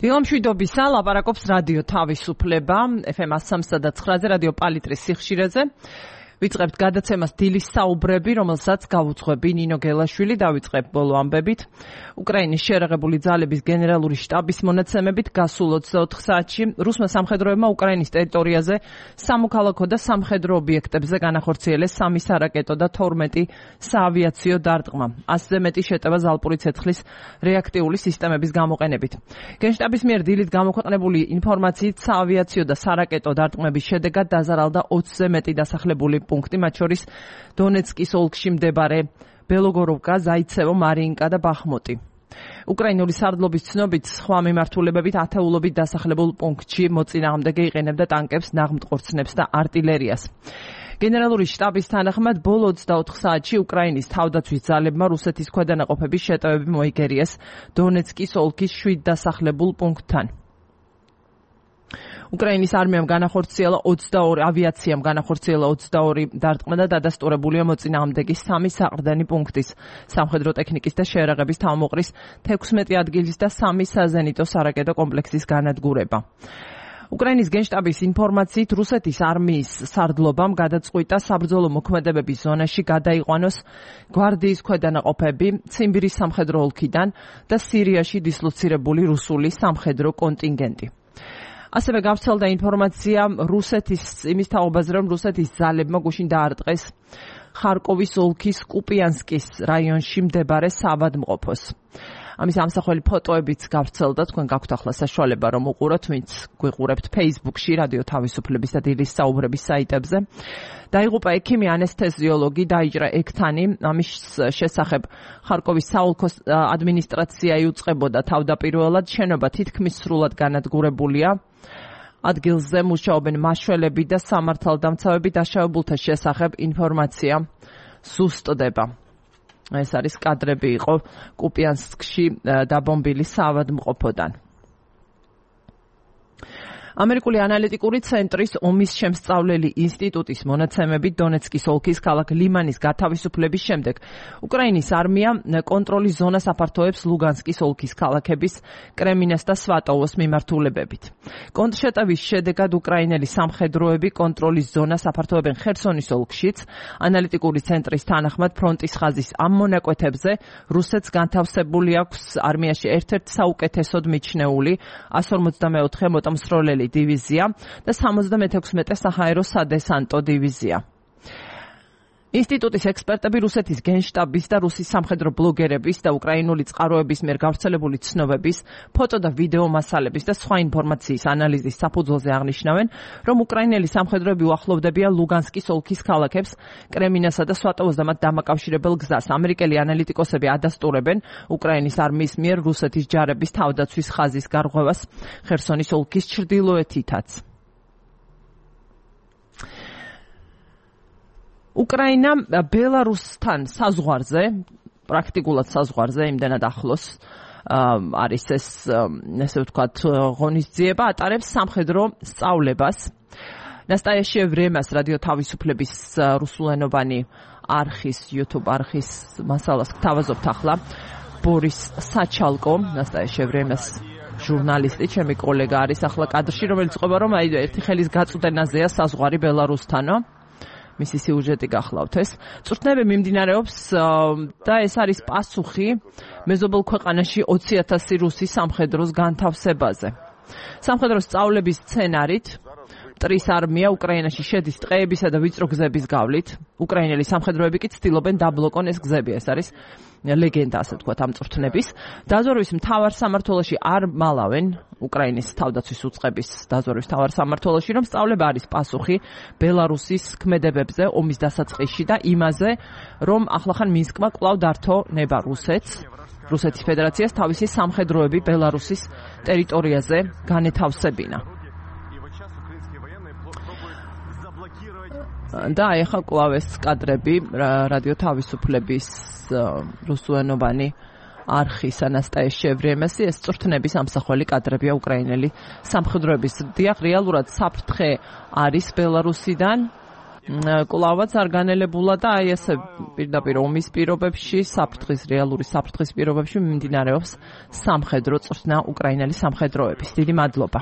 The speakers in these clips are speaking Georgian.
დილამშვიდობისა, ლაპარაკობს რადიო თავისუფლება, FM 103.9-ზე, რადიო პალიტრის სიხშირეზე. ვიწყებთ გადაცემას დილის საუბრები, რომელსაც გავუძღვები ნინო გელაშვილი, დავიწყებ ბოლო ამბებით. უკრაინის შერაღებული ძალების გენერალური შტაბის მონაცემებით გასულ 24 საათში რუსმა სამხედროებმა უკრაინის ტერიტორიაზე სამოქალაქო და სამხედრო ობიექტებზე განახორციელეს 3 სარაკეტო და 12 საავიაციო დარტყმა. 100-ზე მეტი შეტევა ზალპური ცეცხლის რეაქტიული სისტემების გამოყენებით. გენშტაბის მიერ დილით გამოქვეყნებული ინფორმაციით საავიაციო და სარაკეტო დარტყმების შედეგად დაზარალდა 20-ზე მეტი დასახლებული პუნქტი, მათ შორის დონეცკის ოლქში მდებარე ბელოგოროვკა, ზაიცევო, მარიინკა და ბახმუტი. უკრაინული სარდლობის ცნობით, სხვა მიმართულებებით ათეულობით დასახლებულ პუნქტში მოწინააღმდეგე იყენებდა ტანკებს, ნაღმტყორცნებს და არტილერიას. გენერალური შტაბის თანახმად, ბოლო 24 საათში უკრაინის თავდაცვის ძალებმა რუსეთის ქვედანაყოფების შეტევები მოიგერიეს დონეცკის ოლქის 7 დასახლებულ პუნქტთან. უკრაინის არმიამ განახორციელა 22 ავიაციამ განახორციელა 22 დარტყმა და დადასტურებულია მოწინააღმდეგის 3 საყრდენი პუნქტის, სამხედრო ტექნიკის და შეერაღების თავმოყრის 16 ადგილის და 3 საზენიტო სარაკეტო კომპლექსის განადგურება. უკრაინის გენშტაბის ინფორმაციით, რუსეთის არმიის სარდლობამ გადაწყვიტა საბრძოლო მოქმედებების ზონაში გადაიყვანოს გვარდიის ქვედანაყოფები ციმბირის სამხედრო ოლქიდან და სირიაში დისლოცირებული რუსული სამხედრო კონტინგენტი. ასევე გავრცელდა ინფორმაცია იმის თაობაზე, რომ რუსეთის ძალებმა გუშინ დაარტყეს ხარკოვის ოლქის კუპიანსკის რაიონში მდებარე საავადმყოფოს. ამის ამსახველი ფოტოებიც გავრცელდა, თქვენ გაქვთ ახლა საშუალება რომ უყუროთ, ვინც გვიყურებთ Facebook-ში, რადიო თავისუფლების და დილის საუბრების საიტებზე. დაიღუპა ექიმი ანესთეზიოლოგი, დაიჭრა ექთანი, ამის შესახებ ხარკოვის საოლქო ადმინისტრაცია იუწყებოდა თავდაპირველად, შენობა თითქმის სრულად განადგურებულია. ადგილზე მუშაობენ მაშველები და სამართალდამცავები, დაშავებულთა შესახებ ინფორმაცია ზუსტდება. ეს არის კადრები იყო კუპიანსკში დაბომბილი საავადმყოფოდან. ამერიკული ანალიტიკური ცენტრის ომის შემსწავლელი ინსტიტუტის მონაცემებით დონეცკის ოლქის ქალაქ ლიმანის გათავისუფლების შემდეგ უკრაინის არმია კონტროლის ზონას აფართოებს ლუგანსკის ოლქის ქალაქების კრემინას და სვატოვოს მიმართულებებით. კონტრშეტევის შედეგად უკრაინელი სამხედროები კონტროლის ზონას აფართოებენ ხერსონის ოლქშიც. ანალიტიკური ცენტრის თანახმად ფრონტის ხაზის ამ მონაკვეთებზე რუსეთს განთავსებული აქვს არმიაში ერთ-ერთი საუკეთესოდ მიჩნეული 154 მოტამსროლელი დივიზია და 76 საჰაერო სადესანტო დივიზია. ინსტიტუტის ექსპერტები რუსეთის გენშტაბის და რუსის სამხედრო ბლოგერების და უკრაინული წყაროების მიერ გავრცელებული ცნობების, ფოტო და ვიდეო მასალების და სხვა ინფორმაციის ანალიზის საფუძველზე აღნიშნავენ, რომ უკრაინელი სამხედროები უახლოვდებიან ლუგანსკის ოლქის ქალაქებს, კრემინასა და სვატოვოს და მათ დამაკავშირებელ გზას. ამერიკელი ანალიტიკოსები ადასტურებენ უკრაინის არმიის მიერ რუსეთის ჯარების თავდაცვის ხაზის გარღვევას ხერსონის ოლქის ჩრდილოეთითაც. უკრაინა ბელარუსთან საზღვარზე, პრაქტიკულად საზღვარზე, იმდენად ახლოს არის ესე ვთქვათ, ღონისძიება, ატარებს სამხედრო სწავლებას. ნასტაია ვრემას რადიო თავისუფლების რუსულენოვანი არხის, YouTube არხის მასალას გთავაზობთ ახლა. ბორის საჩალკო, ნასტაია ვრემას ჟურნალისტი, ჩემი კოლეგა არის ახლა კადრში, რომელიც ყვება, რომ ერთი ხელის გაწვდენაზეა საზღვარი ბელარუსთანო. მისი სიუჟეტი გახლავთ ეს. წვრთნები მიმდინარეობს და ეს არის პასუხი მეზობელ ქვეყანაში 20,000 რუსი სამხედროს განთავსებაზე. სამხედრო სწავლების სცენარით მტრის არმია უკრაინაში შედის ტყეებისა და ვიწრო გზების გავლით. უკრაინელი სამხედროები კი ცდილობენ დაბლოკონ ეს გზები. ეს არის ლეგენდა, ასე ვთქვათ, ამ წვრთნების. დაზვერვის მთავარ სამმართველოში არ მალავენ უკრაინის თავდაცვის უწყების დაზვერვის მთავარ სამმართველოში, რომ სწავლება არის პასუხი ბელარუსის ქმედებებზე ომის დასაწყისში და იმაზე, რომ ახლახან მინსკმა კვლავ დართო ნება რუსეთის ფედერაციას თავისი სამხედროები ბელარუსის ტერიტორიაზე განეთავსებინა. და ეხლა კვლავ ეს კადრები რადიო თავისუფლების რუსულენოვანი არხის ანასტაია ვრემესი, ეს წვრთნების ამსახველი კადრებია უკრაინელი სამხედროების. დიახ, რეალურად საფრთხე არის ბელარუსიდან კლავაც არ განელებულა და აი ესე პირდაპირ ომის პირობებში, რეალური საფრთხის პირობებში მიმდინარეობს სამხედრო წვრთნა უკრაინელი სამხედროების. დიდი მადლობა.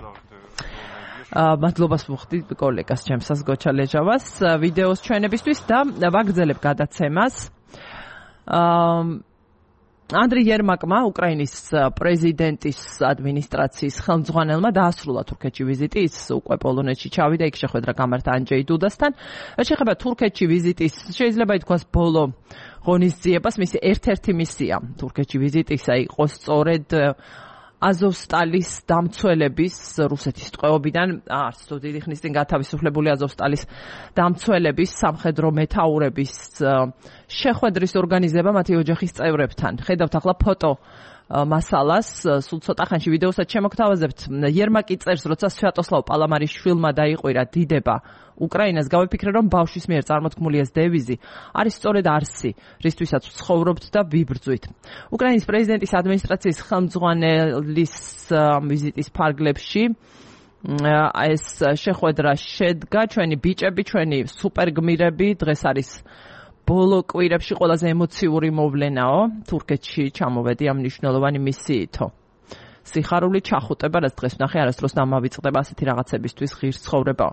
მადლობას ვუხდი კოლეგას ჩემსას გოჩა ლეჟავას ვიდეოს ჩვენებისთვის და ვაგრძელებ გადაცემას. ანდრი იერმაკმა, უკრაინის პრეზიდენტის ადმინისტრაციის ხელმძღვანელმა დაასრულა თურქეთში ვიზიტი. ის უკვე პოლონეთში ჩავიდა, იქ შეხვედრა გამართა ანჯეი დუდასთან. შეხება თურქეთში ვიზიტის, შეიძლება ითქვას ბოლო ღონისძიებას, მისი ერთ-ერთი მისია თურქეთში ვიზიტისა იყო სწორედ აზოვსტალის დამცველების რუსეთის ტყვეობიდან არც თუ დიდი ხნის წინ გათავისუფლებული აზოვსტალის დამცველების სამხედრო მეთაურების შეხვედრის ორგანიზება მათი ოჯახის წევრებთან. ხედავთ ახლა ფოტო მასალას, სულ ცოტა ხანში ვიდეოსაც შემოგთავაზებთ. იერმაკი წერს, როცა სვიატოსლავ პალამარის შვილმა დაიყვირა დიდება უკრაინას, გავიფიქრე, რომ ბავშვის მიერ წარმოთქმული ეს დევიზი არის სწორედ არსი, რისთვისაც ვცხოვრობთ და ვიბრძვით. უკრაინის პრეზიდენტის ადმინისტრაციის ხელმძღვანელის ვიზიტის ფარგლებში ეს შეხვედრა შედგა. ჩვენი ბიჭები, ჩვენი სუპერგმირები, დღეს არის ბოლო კვირებში ყველაზე ემოციური მოვლენაო. თურქეთში ჩამოვედი ამ მნიშვნელოვანი მისიითო. სიხარული ჩახუტება, რაც დღეს ვნახე, არასდროს დამავიწყდება ასეთი რაღაცებისთვის ღირს ცხოვრებაო.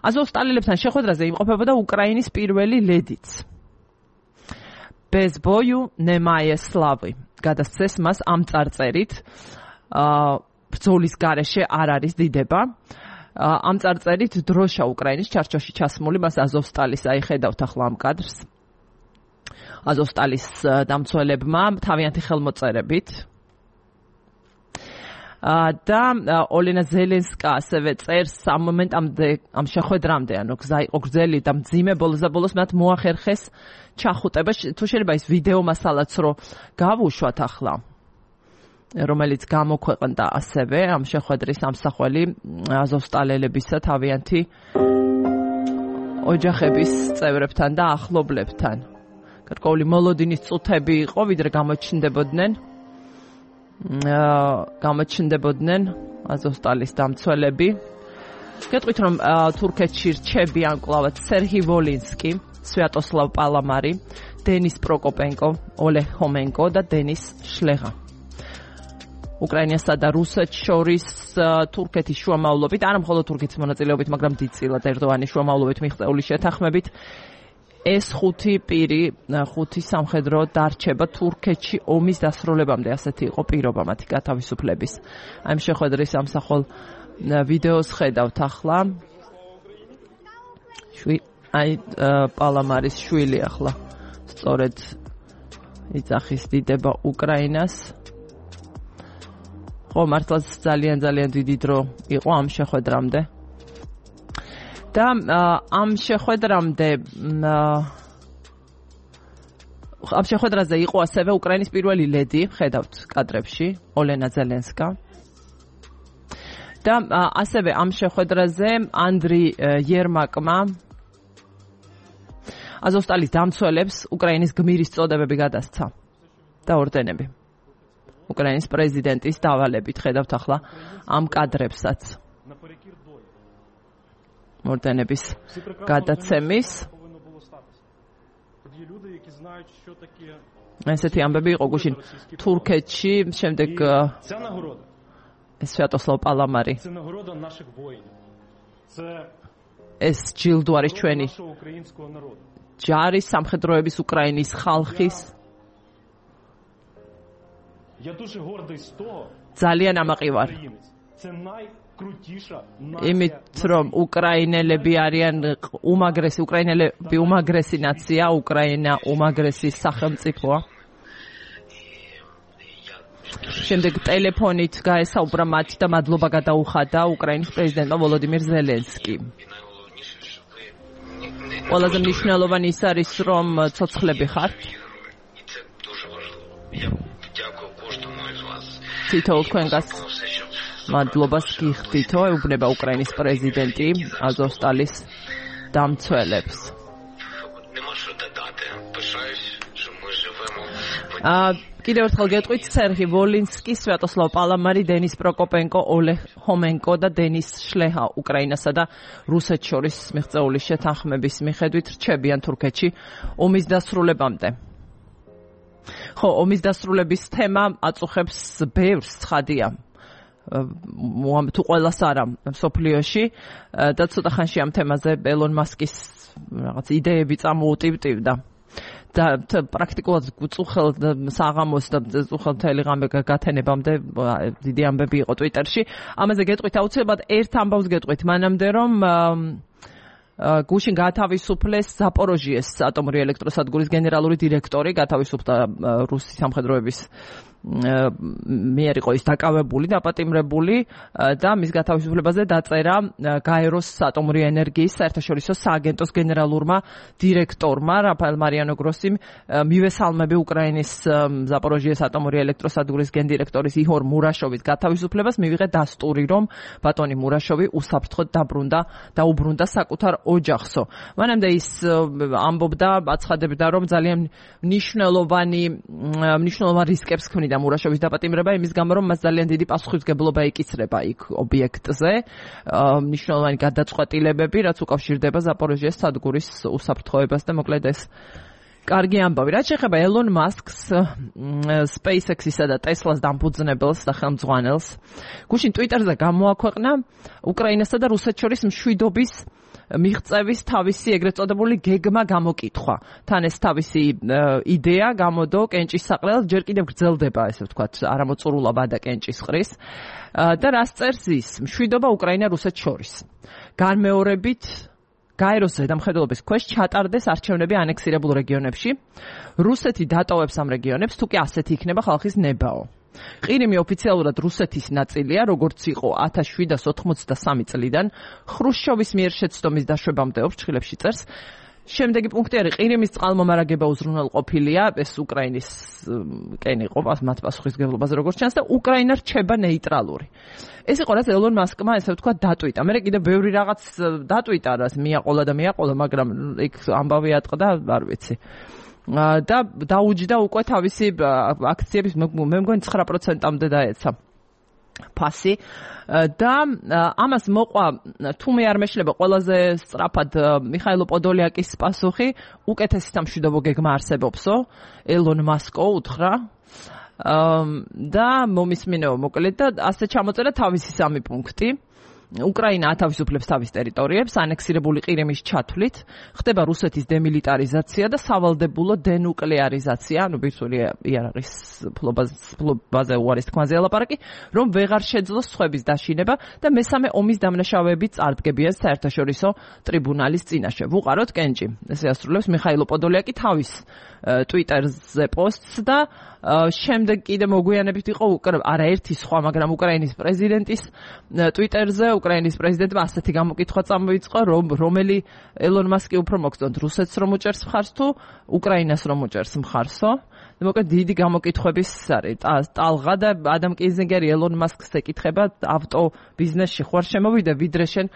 აზოვსტალილებთან შეხვედრაზე იმყოფებოდა უკრაინის პირველი ლედიც. Bez boju nemaje slavy. გადასცეს მას ამ წარწერით. ბრძოლის გარეშე არ არის დიდება. ამ წარწერით დროშა უკრაინის ჩარჩოში ჩასმული, მას აზოვსტალის აიხედავთ ახლა ამ კადრს. აზოვსტალის დამცველებმა თავიანთი ხელმოწერებით. და ოლენა ზელენსკა ასევე წერს ამ მომენტამდე, ამ შეხვედრამდე, ანუ გზა იყო გრძელი და მძიმე, ბოლოს მათ მოახერხეს ჩახუტება. თუ შეიძლება ის ვიდეო მასალაც რო გავუშვათ ახლა, რომელიც გამოქვეყნდა ასევე ამ შეხვედრის ამსახველი აზოვსტალელებისა თავიანთი ოჯახების წევრებთან და ახლობლებთან. გარკვეული მოლოდინის წუთები იყო, ვიდრე გამოჩნდებოდნენ აზოვსტალის დამცველები. გეტყვით, რომ თურქეთში რჩებიან კლავაც სერგი ვოლინსკი, სვიატოსლავ პალამარი, დენის პროკოპენკო, ოლეღ ჰომენკო და დენის შლეღა. უკრაინასა და რუსეთს შორის თურქეთის შუამავლობით, არა მხოლოდ თურქეთის მონაწილეობით, მაგრამ დიდწილად ერდოანის შუამავლობით მიღწეული შეთანხმებით ეს 5 პირი, 5 სამხედრო დარჩება თურქეთში ომის დასრულებამდე, ასეთი იყო პირობა მათი გათავისუფლების. ამ შეხვედრის ამსახველ ვიდეოს ხედავთ ახლა. პალამარის შვილი ახლა სწორედ იძახის დიდება უკრაინას. მართლაც ძალიან დიდი დრო იყო ამ შეხვედრამდე. და ამ შეხვედრაზე იყო ასევე უკრაინის პირველი ლედი, ხედავთ კადრებში, ოლენა ზელენსკა. და ასევე ამ შეხვედრაზე ანდრი იერმაკმა აზოვსტალის დამცველებს უკრაინის გმირის წოდებები გადასცა და ორდენები. უკრაინის პრეზიდენტის დავალებით ხედავთ ახლა ამ კადრებსაც. ორდენების გადაცემის. ესეთი ამბები იყო გუშინ თურქეთში, შემდეგ სვიატოსლავ პალამარი. ეს ჯილდო არის ჩვენი ჯარის, სამხედროების, უკრაინის ხალხის. ძალიან ამაყივარ. იმით, რომ უკრაინელები არიან უკრაინელები უმაგრესი ნაცია, უკრაინა უმაგრესი სახელმწიფოა. შემდეგ ტელეფონით გაესაუბრა მათ და მადლობა გადაუხადა უკრაინის პრეზიდენტმა ვოლოდიმირ ზელენსკიმ. ყველაზე მნიშვნელოვანი ის არის, რომ ცოცხლები ხართ. თითოეულ თქვენგანს მადლობას გიხდითო, ეუბნება უკრაინის პრეზიდენტი აზოვსტალის დამცველებს. კიდევ ერთხელ გეტყვით სერგი ვოლინსკი, სვიატოსლავ პალამარი, დენის პროკოპენკო, ოლეღ ჰომენკო და დენის შლეჰა უკრაინასა და რუსეთს შორის მიღწეული შეთანხმების მიხედვით რჩებიან თურქეთში ომის დასრულებამდე. ხო, ომის დასრულების თემა აწუხებს ბევრს, ცხადია. თუ ყველას არა მსოფლიოში და ცოტა ხანში ამ თემაზე ელონ მასკის რაღაც იდეები წამოუტივტივდა. და პრაქტიკულად წუხელ საღამოს და წუხელ მთელი ღამე გათენებამდე დიდი ამბები იყო ტვიტერში. ამაზე გეტყვით აუცილებლად ერთ ამბავს გეტყვით მანამდე რომ გუშინ გათავისუფლეს ზაპოროჟიეს ატომური ელექტროსადგურის გენერალური დირექტორი, გათავისუფლდა რუსი სამხედროების მიერ იყო ის დაკავებული, დაპატიმრებული და მის გათავისუფლებაზე დაწერა გაეროს ატომური ენერგიის საერთაშორისო სააგენტოს გენერალურმა დირექტორმა რაფაელ მარიანო გროსიმ მივესალმები უკრაინის ზაპოროჟიეს ატომური ელექტროსადგურის გენდირექტორის იჰორ მურაშოვის გათავისუფლებას, მივიღე დასტური, რომ ბატონი მურაშოვი უსაფრთხოდ დაუბრუნდა საკუთარ ოჯახსო. მანამდე ის ამბობდა, აცხადებდა, რომ ძალიან მნიშვნელოვან რისკებს ქმნიდა მურაშოვის დაპატიმრება იმის გამო, რომ მას ძალიან დიდი პასუხისმგებლობა ეკისრება იქ ობიექტზე, მნიშვნელოვანი გადაწყვეტილებები, რაც უკავშირდება ზაპოროჟიეს სადგურის უსაფრთხოებას და მოკლედ ეს კარგი ამბავი. რაც შეეხება ელონ მასკს, SpaceX-ისა და Tesla-ს დამფუძნებელს და ხელმძღვანელს, გუშინ ტვიტერზე გამოაქვეყნა უკრაინასა და რუსეთს შორის მშვიდობის მიღწევის თავისი ეგრეთ წოდებული გეგმა გამოკითხვა. თან ეს თავისი იდეა გამოდო კენჭის საყრელად, ჯერ კიდევ გრძელდება, ესე ვთქვათ, არამოწურულა ვადა კენჭის ყრის. და რას წერს ის? მშვიდობა უკრაინა რუსეთს შორის. განმეორებით გაეროს ზედამხედველობის ქვეშ ჩატარდეს არჩევნები ანექსირებულ რეგიონებში. რუსეთი დატოვებს ამ რეგიონებს, თუ კი ასეთი იქნება ხალხის ნებაო. ყირიმი ოფიციალურად რუსეთის ნაწილია, როგორც იყო 1783 წლიდან, ხრუშჩოვის მიერ შეცდომის დაშვებამდე ოფრჩხილებში წერს. შემდეგი პუნქტი არის ყირიმის წყალმომარაგება უზრუნველყოფილია, ეს უკრაინის კენი იყო მათ პასუხისმგებლობაზე როგორც ჩანს და უკრაინა რჩება ნეიტრალური. ეს იყო რაც ელონ მასკმა ესე ვთქვათ დატვიტა. მე კიდევ ბევრი რაღაც დატვიტა, რაც მიაყოლა, მაგრამ იქ ამბავი ატყდა, არ ვიცი. და დაუჯდა უკვე თავისი აქციების მე მგონი 9%-ამდე დაეცა ფასი და ამას მოყვა თუ მე არ მეშლება ყველაზე სწრაფად მიხაილო პოდოლიაკის პასუხი, უკეთესი სამშვიდობო გეგმა არსებობსო, ელონ მასკო უთხრა და მომისმინეო მოკლედ და ასე ჩამოწერა თავისი 3 პუნქტი. უკრაინა ათავისუფლებს თავის ტერიტორიებს, ანექსირებული ყირიმის ჩათვლით, ხდება რუსეთის დემილიტარიზაცია და სავალდებულო დენუკლეარიზაცია, ბირთვული იარაღის ფლობაზე უარის თქმაზე ელაპარაკი, რომ ვეღარ შეძლოს სხვების დაშინება და მესამე ომის დამნაშავეები წარდგებიან საერთაშორისო ტრიბუნალის წინაშე. ვუყაროთ კენჭი. ესე ასრულებს მიხაილო პოდოლიაკი თავის ტვიტერზე პოსტს და შემდეგ კიდე მოგვიანებით იყო არაერთი სხვა, მაგრამ უკრაინის პრეზიდენტის ტვიტერზე უკრაინის პრეზიდენტმა ასეთი გამოკითხვა წამოიწყო, რომელი ელონ მასკი უფრო მოგწონთ, რუსეთს რომ უჭერს მხარს თუ უკრაინას რომ უჭერს მხარსო. მოკლედ დიდი გამოკითხვების არის ტალღა და ადამ კიზინგერი ელონ მასკს ეკითხება, ავტო ბიზნესში ხوار შემოვიდე, ვიდრე შენ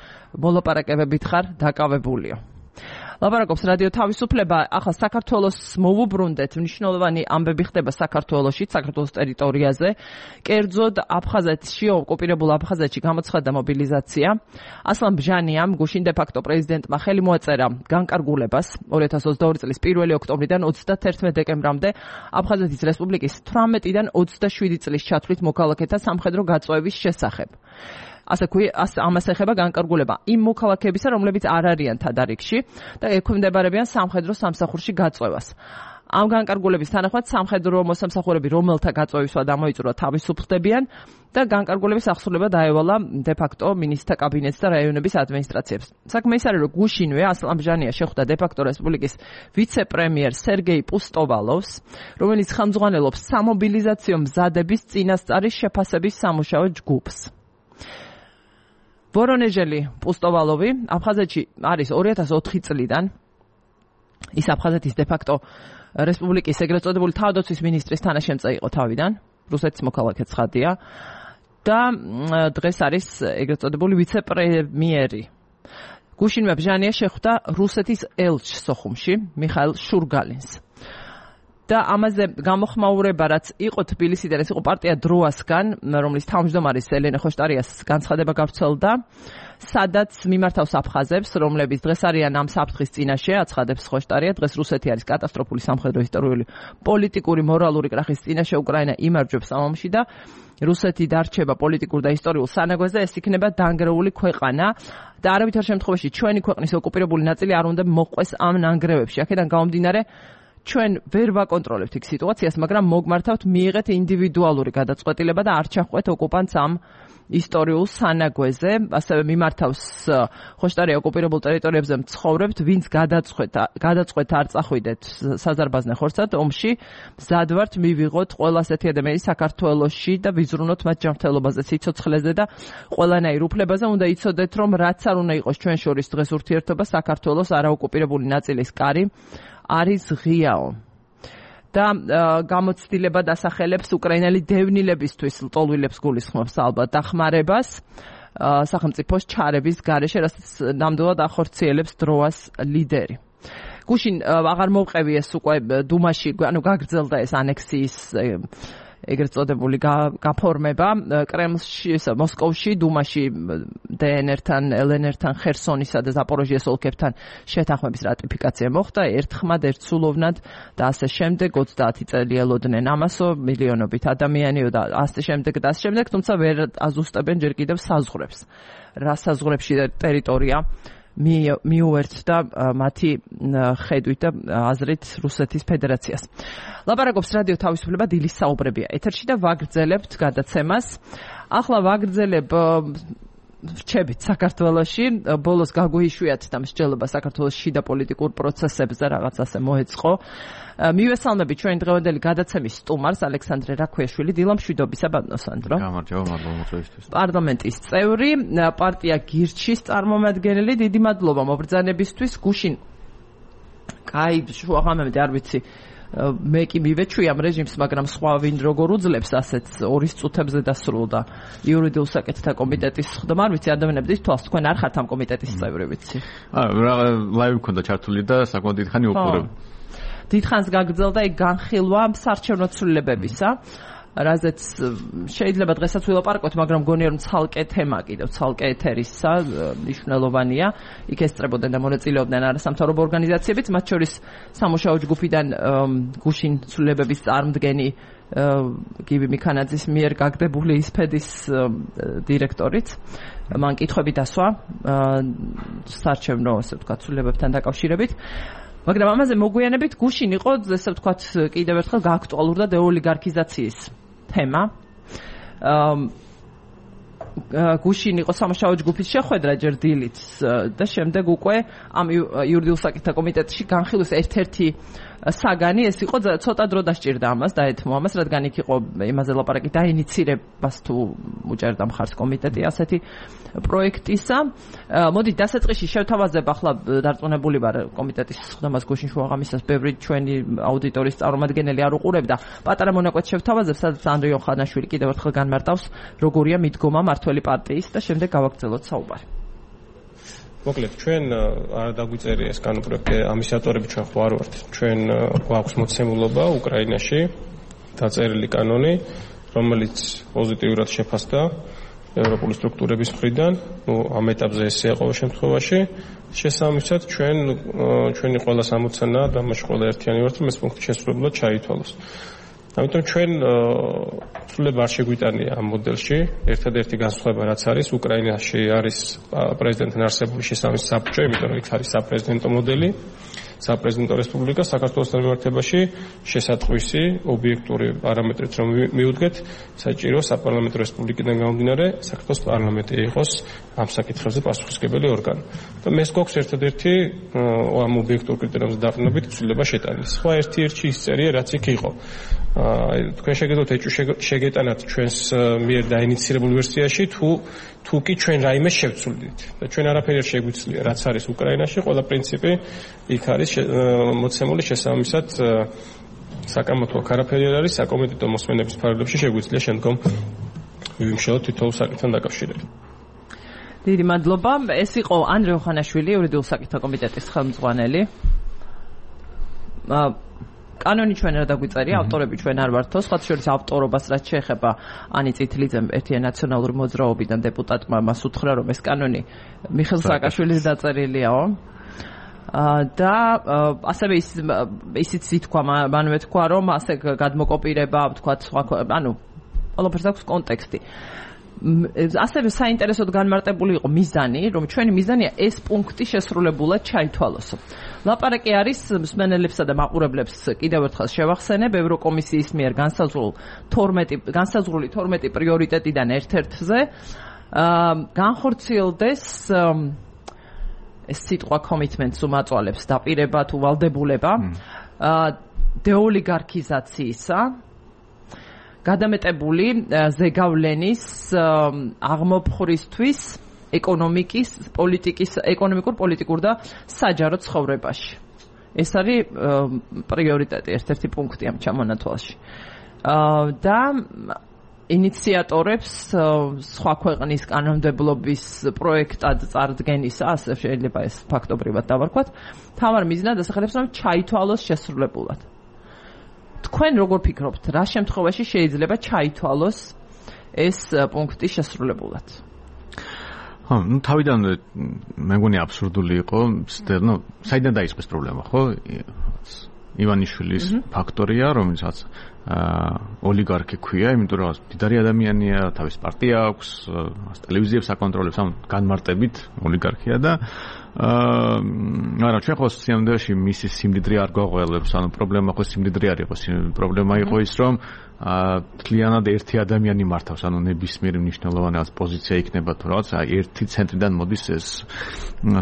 მოლაპარაკებებით ხარ დაკავებულიო. ლაპარაკობს რადიო თავისუფლება. ახლა საქართველოს მოვუბრუნდეთ, მნიშვნელოვანი ამბები ხდება საქართველოში, საქართველოს ტერიტორიაზე. კერძოდ აფხაზეთში, ოკუპირებულ აფხაზეთში გამოცხადდა მობილიზაცია. ასლან ბჟანიამ გუშინ დე-ფაქტო პრეზიდენტმა ხელი მოაწერა განკარგულებას 2022 წლის 1 ოქტომბრიდან 31 დეკემბრამდე აფხაზეთის რესპუბლიკის 18-დან 27 წლის ჩათვლით მოქალაქეთა სამხედრო გაწვევის შესახებ. ამას ეხება განკარგულება იმ მოქალაქეებისა, რომლებიც არ არიან თადარიგში და ექვემდებარებიან სამხედრო სამსახურში გაწვევას. ამ განკარგულების თანახმად სამხედრო მოსამსახურები, რომელთა გაწვევისვა დამოიწურა, თავისუფლდებიან და განკარგულების აღსრულება დაევალა დე-ფაქტო მინისტრთა კაბინეტს და რაიონების ადმინისტრაციებს. საქმე ის არის, რომ გუშინვე ასლან ბჟანია შეხვდა დე-ფაქტო რესპუბლიკის ვიცე-პრემიერ სერგეი პუსტოვალოვს, რომელიც ხელმძღვანელობს სამობილიზაციო მზადების წინასწარი შეფასების სამუშაო ჯგუფს. ვორონეჟელი პუსტოვალოვი აფხაზეთში არის 2004 წლიდან. ის აფხაზეთის დე-ფაქტო რესპუბლიკის ეგრეთ წოდებული თავდაცვის მინისტრის თანაშემწე იყო თავიდან, რუსეთის მოქალაქე ცხადია და დღეს არის ეგრეთ წოდებული ვიცე-პრემიერი. გუშინვე ბჟანია შეხვდა რუსეთის ელჩს სოხუმში, მიხაილ შურგალინს. და ამაზე გამოხმაურება რაც იყო თბილისიდან, ეს იყო პარტია დროასგან, რომლის თავმჯდომარის ელენე ხოშტარიას განცხადება გავრცელდა, სადაც მიმართავს აფხაზებს, რომლებიც დღეს არიან ამ საფრთხის წინაშე, აცხადებს ხოშტარია, დღეს რუსეთი არის კატასტროფული სამხედრო ისტორიული პოლიტიკური მორალური კრახის წინაშე, უკრაინა იმარჯვებს ამ ომში და რუსეთი დარჩება პოლიტიკურ და ისტორიულ სანაგვაზე, ეს იქნება დანგრეული ქვეყანა და არავითარ შემთხვევაში ჩვენი ქვეყნის ოკუპირებული ნაწილი არ უნდა მოყვეს ამ ნანგრევებში. აქედან გამომდინარე ჩვენ ვერ ვაკონტროლებთ იქ სიტუაციას, მაგრამ მოგმართავთ მიიღეთ ინდივიდუალური გადაწყვეტილება და არ ჩახვეთ ოკუპანტს ამ ისტორიულ სანაგვეზე, ასევე მიმართავს ხოშტარია ოკუპირებულ ტერიტორიებზე მცხოვრებთ, ვინც გადაწყვეტ არ წახვიდეთ საზარბაზნე ხორცად ომში, მზად ვართ მივიღოთ ყველა ასეთი ადამიანი საქართველოში და ვიზრუნოთ მათ ჯანმრთელობაზე, სიცოცხლეზე და ყველანაირ უფლებაზე. უნდა იცოდეთ, რომ რაც არ უნდა იყოს ჩვენ შორის დღეს ურთიერთობა, საქართველოს არაოკუპირებული ნაწილის კარი არის ღიაო. და გამოცდილება დასახელებს უკრაინელი დევნილებისთვის ლტოლვილებს გულისხმობს ალბათ დახმარებას სახელმწიფოს ჩარების გარეშე, რასაც ნამდვილად ახორციელებს დროას ლიდერი. გუშინ აღარ მოვყევი ეს უკვე დუმაში, ანუ გაგრძელდა ეს ანექსიის ეგრეთ წოდებული გაფორმება კრემლში, მოსკოვში, დუმაში დნრ-თან, ელნრ-თან, ხერსონისა და ზაპოროჟიეს ოლქებთან შეთანხმების რატიფიკაცია მოხდა, ერთხმად, ერთსულოვნად და ასე შემდეგ, 30 წელი ელოდნენ ამასო, მილიონობით ადამიანიო და ასე შემდეგ და ასე შემდეგ, თუმცა ვერ აზუსტებენ ჯერ კიდევ საზღვრებს. რა საზღვრებში ტერიტორია მიუერთდა მათი ხედვით და აზრით რუსეთის ფედერაციას. ლაპარაკობს რადიო თავისუფლება, დილის საუბრებია ეთერში და ვაგრძელებთ გადაცემას. ახლა ვაგრძელებ რჩებით საქართველოში, ბოლოს გაგვიშვიათ და მსჯელობა საქართველოს შიდა პოლიტიკურ პროცესებზე რაღაც ასე მოეწყო. მივესალმები ჩვენ დღევანდელი გადაცემის სტუმარს ალექსანდრე რაქვიაშვილი, დილამშვიდობისა ბატონო სანდრო. გამარჯობა, მადლობა მოწვევისთვის. პარლამენტის წევრი, პარტია გირჩის წარმომადგენელი, დიდი მადლობა მობრძანებისთვის. გუშინ კაი შუაღამემდე არ ვიცი მე კი მივეჩვი ამ რეჟიმს, მაგრამ სხვა ვინ როგორ უძლებს ასეთ 2 წუთებზე დასრულდა იურიდიულ საკითხთა კომიტეტის ხდომა, არ ვიცი ადამიანებიც თვალს თქვენ არ ხართ ამ კომიტეტის წევრი, ვიცი. ლაივი მქონდა ჩართული და საკმაოდ დიდხანი უყურებ. დიდხანს გაგრძელდა ეგ განხილვა საარჩევნო ცვლილებებისა, რაზეც შეიძლება დღესაც ვილაპარაკოთ, მაგრამ გონია რომ ცალკე თემა კიდევ ცალკე ეთერისა მნიშვნელოვანია. იქ ესწრებოდნენ და მონაწილეობდნენ არასამთავრობო ორგანიზაციებიც, მათ შორის სამუშაო ჯგუფიდან გუშინ ცვლილებების წარმდგენი გივი მიქანაძის მიერ გაგდებული ისფედის დირექტორიც. მან კითხვები დასვა საარჩევნო, ასე ვთქვათ, ცვლილებებთან დაკავშირებით. მაგრამ ამაზე მოგვიანებით გუშინ იყო, ესე ვთქვათ, კიდევ ერთხელ გააქტუალურდა დეოლიგარქიზაციის თემა. გუშინ იყო სამუშაო ჯგუფის შეხვედრა ჯერ დილით და შემდეგ უკვე ამ იურიდიულ საკითხთა კომიტეტში განხილვის ერთ-ერთი საგანი ეს იყო, ცოტა დრო დასჭირდა ამას, დაეთმო ამას, რადგან იქ იყო იმაზე ლაპარაკი დაინიცირებას თუ უჭერდა მხარს კომიტეტი ასეთი პროექტისა. მოდით დასაწყისში შევთავაზებ, ახლა დარწმუნებული ვარ კომიტეტის ხდომას გუშინ შუაღამისას ბევრი ჩვენი აუდიტორის წარმომადგენელი არ უყურებდა. პატარა მონაკვეთს შევთავაზებ, სადაც ანდრე იოხანაშვილი კიდევ ერთხელ განმარტავს, როგორია მიდგომა მართველი პარტიის და შემდეგ გავაგრძელოთ საუბარი. მოკლედ, ჩვენ არ დაგვიწერია ეს კანონპროექტი, ამის ავტორები ჩვენ ხო არ ვართ. ჩვენ გვაქვს მოცემულობა უკრაინაში, დაწერილი კანონი, რომელიც პოზიტიურად შეფასდა ევროპული სტრუქტურების მხრიდან, ამ ეტაპზე ესეა ყოველ შემთხვევაში. შესაბამისად, ჩვენი ყველა სამოცანა და მასში ყველა ერთიანი ვართ, რომ ეს პუნქტი შესრულებლად ჩაითვალოს. ამიტომ ჩვენ ცვლილება არ შეგვიტანია ამ მოდელში. ერთადერთი განსხვავება რაც არის, უკრაინაში არის პრეზიდენტთან არსებული შესაბამისი საბჭო, იმიტომ რომ იქ არის საპრეზიდენტო მოდელი, საპრეზიდენტო რესპუბლიკა. საქართველოსთან მიმართებაში შესატყვისი ობიექტური პარამეტრით რომ მიუდგეთ, საჭირო საპარლამენტო რესპუბლიკიდან გამომდინარე საქართველოს პარლამენტი იყოს ამ საკითხებზე პასუხისმგებელი ორგანო. და მეს გვაქვს ერთადერთი ამ ობიექტურ კრიტერიუმზე დაყრდნობით ცვლილება შეტანის. სხვა ერთი ისწერია, რაც იქ იყო. თქვენ შეგეძლოთ ეჭვი შეგეტანათ ჩვენს მიერ დაინიცირებულ ვერსიაში, თუ კი ჩვენ რაიმე შევცვლით. და ჩვენ არაფერი არ შეგვიძლია, რაც არის უკრაინაში, ყველა პრინციპი იქ არის მოცემული შესაბამისად საკამათო აქ არაფერი არ არის, საკომიტეტო მოსმენების ფარგლებში შეგვიძლია შემდგომ ვიმშელოთ თითოეულ საკითხთან დაკავშირებით. დიდი მადლობა. ეს იყო ანდრე იოხანაშვილი, იურიდიულ საკითხთა კომიტეტის ხელმძღვანელი. კანონი ჩვენ რა დაგვიწერია, ავტორები ჩვენ არ ვართო, სხვა შორის ავტორობას რაც შეეხება ანი წითლიძემ ერთიან ნაციონალური მოძრაობიდან დეპუტატმა მას უთხრა რომ ეს კანონი მიხეილ სააკაშვილის დაწერილიაო. და ასევე ისიც ითქვა, მანვე თქვა რომ ასე გადმოკოპირება, თქვა სხვა, ანუ ყველაფერს აქვს კონტექსტი. ასევე საინტერესოდ განმარტებული იყო მიზანი, რომ ჩვენი მიზანია ეს პუნქტი შესრულებულად ჩაითვალოს. ლაპარაკი არის მსმენელებსა და მაყურებლებს კიდევ ერთხელ შევახსენებ ევროკომისიის მიერ განსაზღვრული 12 პრიორიტეტიდან ერთ-ერთზე განხორციელდეს ეს სიტყვა commitments უმაწვალებს დაპირება თუ ვალდებულება დეოლიგარქიზაციისა გადამეტებული ზეგავლენის აღმოფხვრისთვის ეკონომიკის, პოლიტიკის, ეკონომიკურ-პოლიტიკურ და საჯარო ცხოვრებაში. ეს არის პრიორიტეტი, ერთ-ერთი პუნქტი ამ ჩამონათვალში. და ინიციატორებს სხვა ქვეყნის კანონმდებლობის პროექტად წარდგენისა, ასე შეიძლება ეს ფაქტობრივად დავარქვათ, თავარ მიზნად ასახელებს, რომ ჩაითვალოს შესრულებულად. თქვენ როგორ ფიქრობთ, რა შემთხვევაში შეიძლება ჩაითვალოს ეს პუნქტი შესრულებულად? თავიდანვე მე მგონი აბსურდული იყო, საიდან დაიწყო ეს პრობლემა, ხო? ივანიშვილის ფაქტორია, რომელსაც ოლიგარქი ქვია, იმიტომ რომ დიდარი ადამიანია, თავის პარტია აქვს, ტელევიზიებს აკონტროლებს, ანუ განმარტებით ოლიგარქია და მაგრამ ჩვენ ხო სიამოვნებაში მისი სიმდიდრე არ გვაღველებს, ანუ პრობლემა ხო სიმდიდრე არ იყო, პრობლემა იყო ის, რომ თლიანად ერთი ადამიანი მართავს, ანუ ნებისმიერი მნიშვნელოვანი რაღაც პოზიცია იქნება თუ რაღაც, ერთი ცენტრიდან მოდის ეს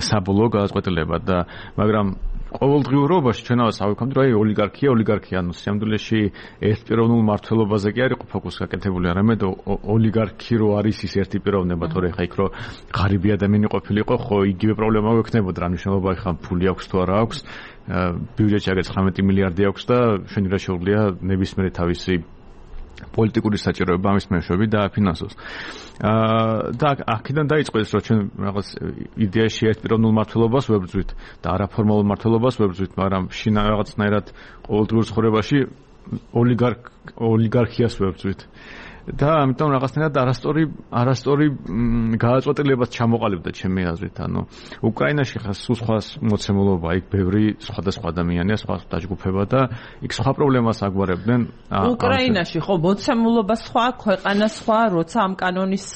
საბოლოო გადაწყვეტილება და მაგრამ ყოველდღიურობაში ჩვენავას ავიქამდე, რომ ოლიგარქია, ანუ სიამდვილეში ერთპიროვნულ მართლობაზე კი არ იყო ფოკუსი გაკეთებული, არამედ ოლიგარქი რო არის ის ერთი პიროვნება, თორე ხა იქ რო ღარიბი ადამიანი ყოფილიყო, ხო იგივე პრობლემა გვექნებოდა, რა მნიშვნელობა ხა ფული აქვს თუ არა აქვს, ბიუჯეტში აგერ 19 მილიარდი აქვს და შენი რა შეუძლია ნებისმიერი თავისი პოლიტიკური საჭიროება ამის მეშვეობით დააფინანსოს. და აქედან დაიწყო ეს, რომ ჩვენ რაღაც იდეაში ერთპიროვნულ მმართველობას ვებრძვით და არაფორმალურ მმართველობას ვებრძვით, მაგრამ შინა რაღაცნაირად ყოველდღიურ ცხოვრებაში ოლიგარქიას ვებრძვით. და ამიტომ რაღაცნაირად არასწორი გადაწყვეტილებაც ჩამოყალიბდა ჩემი აზრით. ანუ უკრაინაში ხა სულ სხვა მოცემულობა, იქ ბევრი სხვადასხვა ადამიანია, სხვა დაჯგუფება და იქ სხვა პრობლემას აგვარებდნენ. უკრაინაში ხო მოცემულობა სხვა, ქვეყანა სხვა, როცა ამ კანონის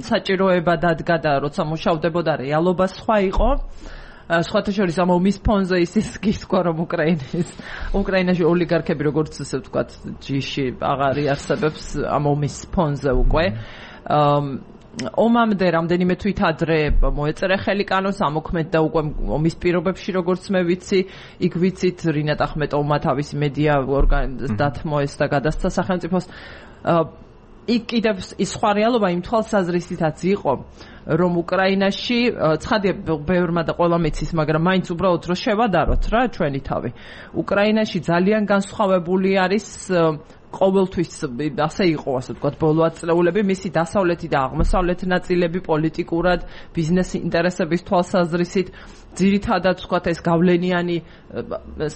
საჭიროება დადგა და როცა მუშავდებოდა რეალობა სხვა იყო. სხვათა შორის ამ ომის ფონზე ის გითქვა, რომ უკრაინაში ოლიგარქები, როგორც ესე ვთქვათ, ჯიში აღარ იარსებებს ამ ომის ფონზე უკვე. ომამდე რამდენიმე თვით ადრე მოეწერა ხელი კანონს, ამოქმედდა უკვე ომის პირობებში, როგორც მე ვიცი, იქ ვიცით რინატ ახმეტოვმა თავისი მედია ორგანიზაცია დათმოეს და გადასცა სახელმწიფოს. იქ კიდევ ის სხვა რეალობა იმ თვალსაზრისითაც იყო, რომ უკრაინაში ცხადია ბევრმა და ყველა მეცის, მაგრამ მაინც უბრალოდ რომ შევადაროთ რა ჩვენი თავი. უკრაინაში ძალიან განსხვავებული არის ყოველთვის ასე იყო, ასე ვთქვათ, ბოლო ათწლეულები, მისი დასავლეთი და აღმოსავლეთი ნაწილები პოლიტიკურად, ბიზნეს ინტერესების თვალსაზრისით, ძირითადად ვთქვათ ეს გავლენიანი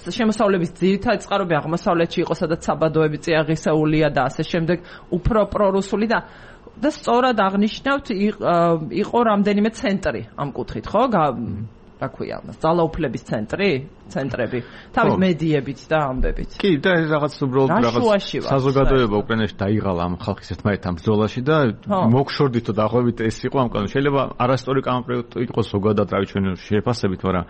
შემოსავლების ძირითადი წყაროები აღმოსავლეთში იყო, სადაც საბადოები წიაღისეულია და ასე შემდეგ, უფრო პრორუსული და სწორად აღნიშნავთ, იყო რამდენიმე ცენტრი ამ კუთხით, ხო? რა ქვია, ძალაუფლების ცენტრები, თავის მედიებით და ამბებით. კი, და ეს რაღაც უბრალოდ რაღაც საზოგადოება უკრაინაში დაიღალა ამ ხალხის ერთმანეთთან ბრძოლაში და მოგშორდით და დაახლოებით ეს იყო ამ კანონი. შეიძლება არასწორი კანონპროექტი იყოს ზოგადად, რავი ჩვენ შეფასებით, მაგრამ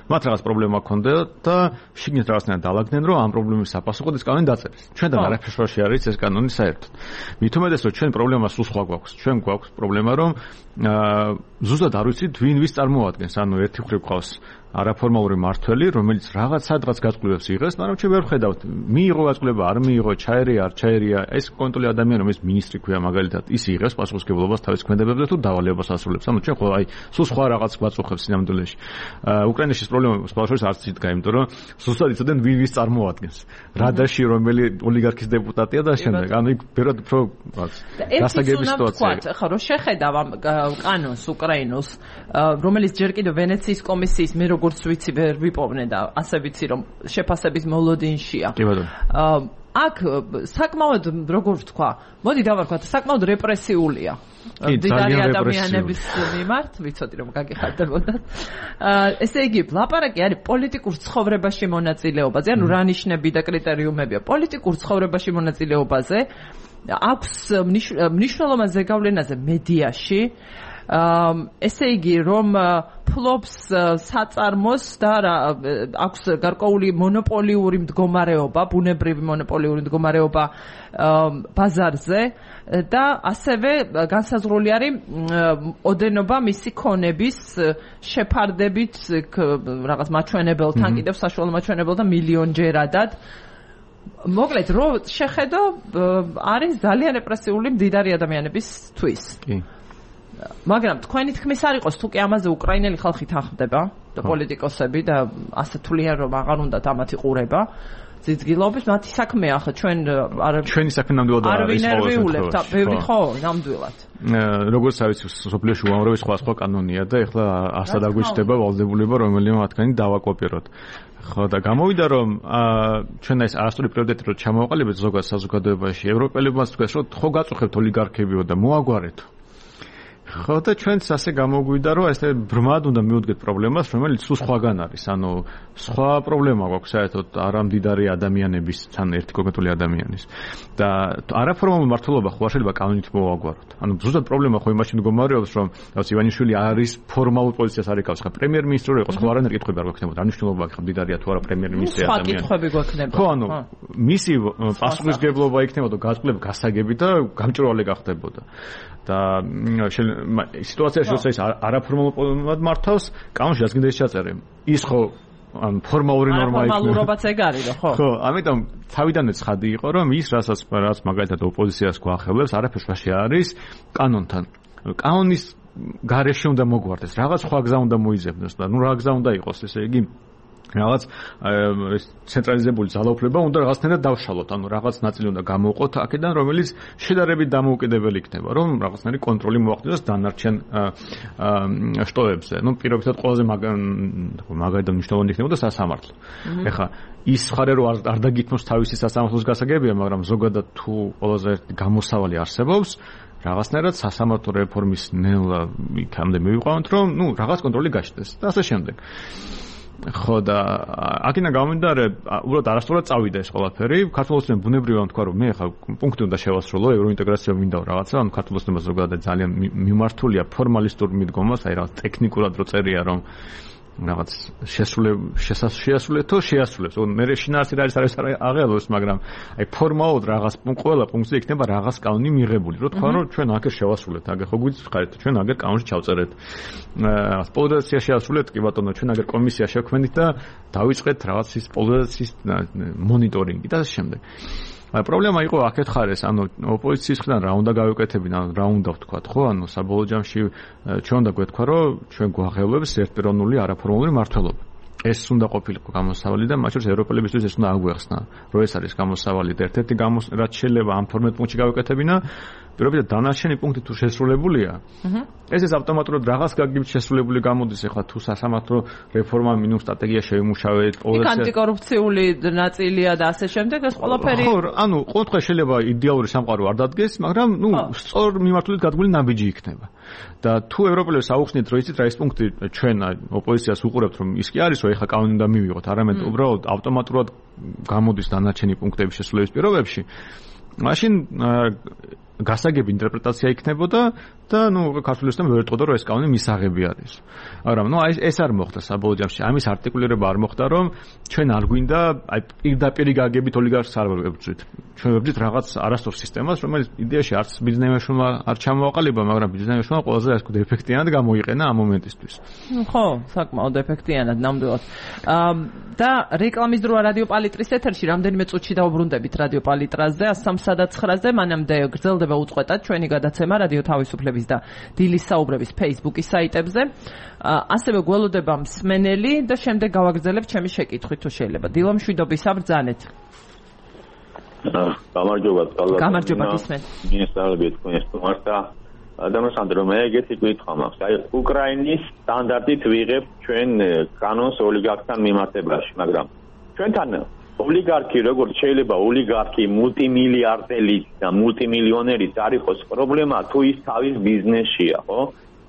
მათ რაღაც პრობლემა ჰქონდა და შიგნით რაღაცნაირად დაალაგდნენ, რომ ამ პრობლემის საპასუხოდ ეს კანონი დაწერეს. ჩვენთან არაფერში არის ეს კანონი საერთოდ. მით უმეტეს, რომ ჩვენ პრობლემა სულ სხვა გვაქვს. ჩვენ გვაქვს პრობლემა, რომ ზუსტად არ ვიცით ვინ ვის წარმოადგენს, ანუ ერთი მხრივ ყავს არაფორმალური მართველი, რომელიც რაღაც სადღაც გაწყობებს იღებს, მაგრამ ჩვენ ვერ ხედავთ, მიიღო გაწყობა, არ მიიღო, ჩაერია, არ ჩაერია, ეს კონტროლი ადამიანი, რომელიც მინისტრი ქვია მაგალითად, ის იღებს პასუხისმგებლობას თავის ქმედებებზე თუ დავალებას ასრულებს. ანუ ჩვენ ხო აი სულ სხვა რაღაც გვაწუხებს სინამდვილეში. უკრაინაში ეს პრობლემა სხვაშორის არც იდგა, იმიტომ რომ ზუსტად იცოდნენ ვინ ვის წარმოადგენს. რადაში რომელი ოლიგარქის დეპუტატია და შემდეგ. ანუ იქ ბევრად უფრო გასაგები სიტუაცია. ხო, რომ შეხედავ ამ კანონს უკრაინოს, რომელიც ჯერ კიდევ ვენეციის კომისიის მიერ როგორც ვიცი ვერ ვიპოვნე და ასე ვიცი რომ შეფასების მოლოდინშია. კი ბატონო. აქ საკმაოდ როგორ ვთქვა, მოდი დავარქვათ, საკმაოდ რეპრესიულია. დიდარი ადამიანების მიმართ, ვიცოდი რომ გაგიხარდებოდათ. ესე იგი, ლაპარაკი არის პოლიტიკურ ცხოვრებაში მონაწილეობაზე, ანუ რა ნიშნები და კრიტერიუმებია პოლიტიკურ ცხოვრებაში მონაწილეობაზე, აქვს მნიშვნელოვან ზეგავლენაზე მედიაში. ესე იგი, რომ ფლობს საწარმოს და აქვს გარკვეული მონოპოლიური მდგომარეობა, ბუნებრივი მონოპოლიური მდგომარეობა ბაზარზე და ასევე განსაზღვრული არის ოდენობა მისი ქონების შეფარდებით რაღაც მაჩვენებელთან, კიდევ საშუალო მაჩვენებელთან მილიონჯერადად. მოკლედ, რო შეხედო, არის ძალიან რეპრესიული მდიდარი ადამიანებისთვის. კი. მაგრამ თქვენი თქმის არ იყოს თუ კი ამაზე უკრაინელი ხალხი თანხმდება და პოლიტიკოსები და ასე თვლიან რომ აღარ უნდათ ამათი ყურება ძიძგილობის მათი საქმეა ახლა ჩვენი საქმე ნამდვილად არის ყოველთვის და ბევრი ხო ნამდვილად როგორც ვიცი სოფლიოში უამრავი სხვა კანონია და ეხლა ასად აგვიჩნდება ვალდებულება რომელიმე მათგანი დავაკოპიროთ ხო და გამოვიდა რომ ჩვენ ეს არასწორი პრიორიტეტი რო ჩამოვაყალიბეთ ზოგადად საზოგადოებაში ევროპელებმაც თქვეს რომ ხო გაწუხებთ ოლიგარქებიო და მოაგვარეთ ხო და ჩვენც ასე გამოგვიდა რომ ესე ბრმად უნდა მივუდგეთ პრობლემას რომელიც სულ სხვაგან არის ანუ სხვა პრობლემა გვაქვს საერთოდ არამდიდარი ადამიანების თან ერთი კონკრეტული ადამიანის და არაფორმალური მართლობა ხო არ შეიძლება კანონით მოვაგვაროთ ანუ ზუსტად პრობლემა ხო იმაში მდგომარეობს რომ რაც ივანიშვილი არის ფორმალურ პოზიციას არ ეკავს ხა პრემიერ-მინისტრი რო იყოს ხო არანაირი კითხვები არ გვექნებოდა არ მნიშვნელობა აქვს მდიდარია თუ არა პრემიერ-მინისტრი ადამიანი სხვა კითხვები გვექნებოდა ხო ანუ მისი პასუხისგებლობა იქნებოდა გასწლებ გასაგები და გამჭვირვალე გახდებოდა და სიტუაციაში როცა ის არაფორმალურად მართავს, კანონში რაც გინდა ის ჩაწერე. ის ხო ან ფორმალური ნორმა იქნება. ფორმალურობაც ეგ არის, ხო? ხო, ამიტომ თავიდანვე ცხადი იყო, რომ ის რაც მაგალითად ოპოზიციას გვახელებს, არაფერს ვაში არის კანონთან. კანონის გარეშე უნდა მოგვარდეს, რაღაც სხვა გზა უნდა მოიძებნოს და ნუ რა გზა უნდა იყოს, ესე იგი რაღაც ცენტრალიზებული ძალაუფლება უნდა რაღაცნაირად დავშალოთ, ანუ რაღაც ნაწილი უნდა გამოვყოთ აქედან, რომელიც შედარებით დამოუკიდებელი იქნება, რომ რაღაცნაირი კონტროლი მოახდინოს დანარჩენ შტოებზე. ნუ პირობითად ყველაზე მაგალითად მნიშვნელოვანი იქნებოდა სასამართლო. ეხლა ის ხარე რომ არ დაგითმოს თავისი სასამართლოს გასაგებია, მაგრამ ზოგადად თუ ყველაზე გამოსავალი არსებობს რაღაცნაირად სასამართლო რეფორმის ნელა იქამდე მივიყვანოთ, რომ ნუ რაღაც კონტროლი გაჩნდეს და ასე შემდეგ. ხო და აქედან გამომდინარე, უბრალოდ არასწორად წავიდა ეს ყველაფერი. ქართულოსნებმა ბუნებრივია თქვა, რომ მე ხა პუნქტი უნდა შევასრულო, ევროინტეგრაცია მინდა რაღაცა, ანუ ქართულოსნებმა ზოგადად ძალიან მიმართულია ფორმალისტურ მიდგომას, აი რაღაც ტექნიკურად რო წერია, რომ რაღაც შეასრულეთო შეასრულებს. მე შინაარსი არის აღელოს, მაგრამ აი ფორმალურად რაღაც ყველა პუნქტზე იქნება რაღაც კანონი მიღებული. რო თქვა, რომ ჩვენ აქ შევასრულეთ, აგერ ხო გვიწხარით, ჩვენ აგერ კანონში ჩავწერეთ. პოლიტიკა შეასრულეთ, კი ბატონო, ჩვენ აგერ კომისია შევქმნით და დავიწყეთ რაღაც ის პოლიტიკის მონიტორინგი და ასე შემდეგ. პრობლემა იყო აქეთ ხარეს, ანუ ოპოზიციის მხრიდან რა უნდა გავიკეთებინ, ანუ რა უნდა ვთქვათ, ხო? ანუ საბოლოო ჯამში ჩვენ უნდა გვეთქვა, რომ ჩვენ გვაღელვებს ერთპიროვნული არაფორმალური მართლობა. ეს უნდა ყოფილიყო გამოსავალი და მათ შორის ევროპელებისთვის ეს უნდა აგვეხსნა, რომ ეს არის გამოსავალი და ერთ-ერთი რაც შეიძლება ამ 12 პუნქტში გავიკეთებინა, პირობითად დანარჩენი პუნქტი თუ შესრულებულია, ეს ავტომატურად რაღაც გაგებით შესრულებული გამოდის, ეხლა თუ სასამართლო რეფორმა მინიმუმ სტრატეგია შევიმუშავეთ, პოლიცია ანტიკორუფციული ნაწილია და ასე შემდეგ, ეს ყველაფერი ხო, ანუ ყოველდღე შეიძლება იდეალური სამყარო არ დადგეს, მაგრამ ნუ სწორ მიმართულებით გადგმული ნაბიჯი იქნება. და თუ ევროპელებს აუხსნით, რომ იცით რა ის პუნქტი ჩვენ ოპოზიციას უყურებთ, რომ ის კი არის, რომ ეხლა კანონი უნდა მივიღოთ, არამედ უბრალოდ ავტომატურად გამოდის დანარჩენი პუნქტების შესრულების პირობებში, მაშინ გასაგები ინტერპრეტაცია იქნებოდა და ნუ ქართულოსთან ვერ ეტყოდა რომ ეს კანონი მისაღები არის. მაგრამ ნუ ეს არ მოხდა საბოლოო ჯამში. ამის არტიკულირება არ მოხდა, რომ ჩვენ არ გვინდა აი პირდაპირ გაგებით ოლიგარქს არ ვებრძვით. ჩვენ ვებრძვით რაღაც არასწორ სისტემას, რომელიც იდეაში არც ბიზნესმენმა არ ჩამოაყალიბა, მაგრამ ბიზნესმენმა ყველაზე ასე ვთქვათ ეფექტიანად გამოიყენა ამ მომენტისთვის. ხო, საკმაოდ ეფექტიანად ნამდვილად. და რეკლამის დროა რადიო პალიტრის ეთერში რამდენიმე წუთში დავბრუნდებით რადიო პალიტრაზე 109-ზე, მანამდე გრძელდება უწყვეტად ჩვენი გადაცემა რადიო თავისუფლების და დილის საუბრების Facebook-ის საიტებზე. ასევე გველოდება მსმენელი და შემდეგ გავაგრძელებ ჩემი შეკითხვით თუ შეიძლება. დილო მშვიდობის საბრძანეთ. გამარჯობა, გამარჯობა გისმენთ. მინესწავლები თქვენ სტუმართა დამასანდრო მე ეგეთი კითხვა მაქვს. აი უკრაინის სტანდარტით ვიღებ ჩვენ კანონს ოლიგარქთან მიმართებაში, მაგრამ ჩვენთან ოლიგარქი როგორც შეიძლება ოლიგარქი მულტიმილიარდელი და მულტიმილიონერი არ იყოს პრობლემა თუ ის თავის ბიზნესშია, ხო?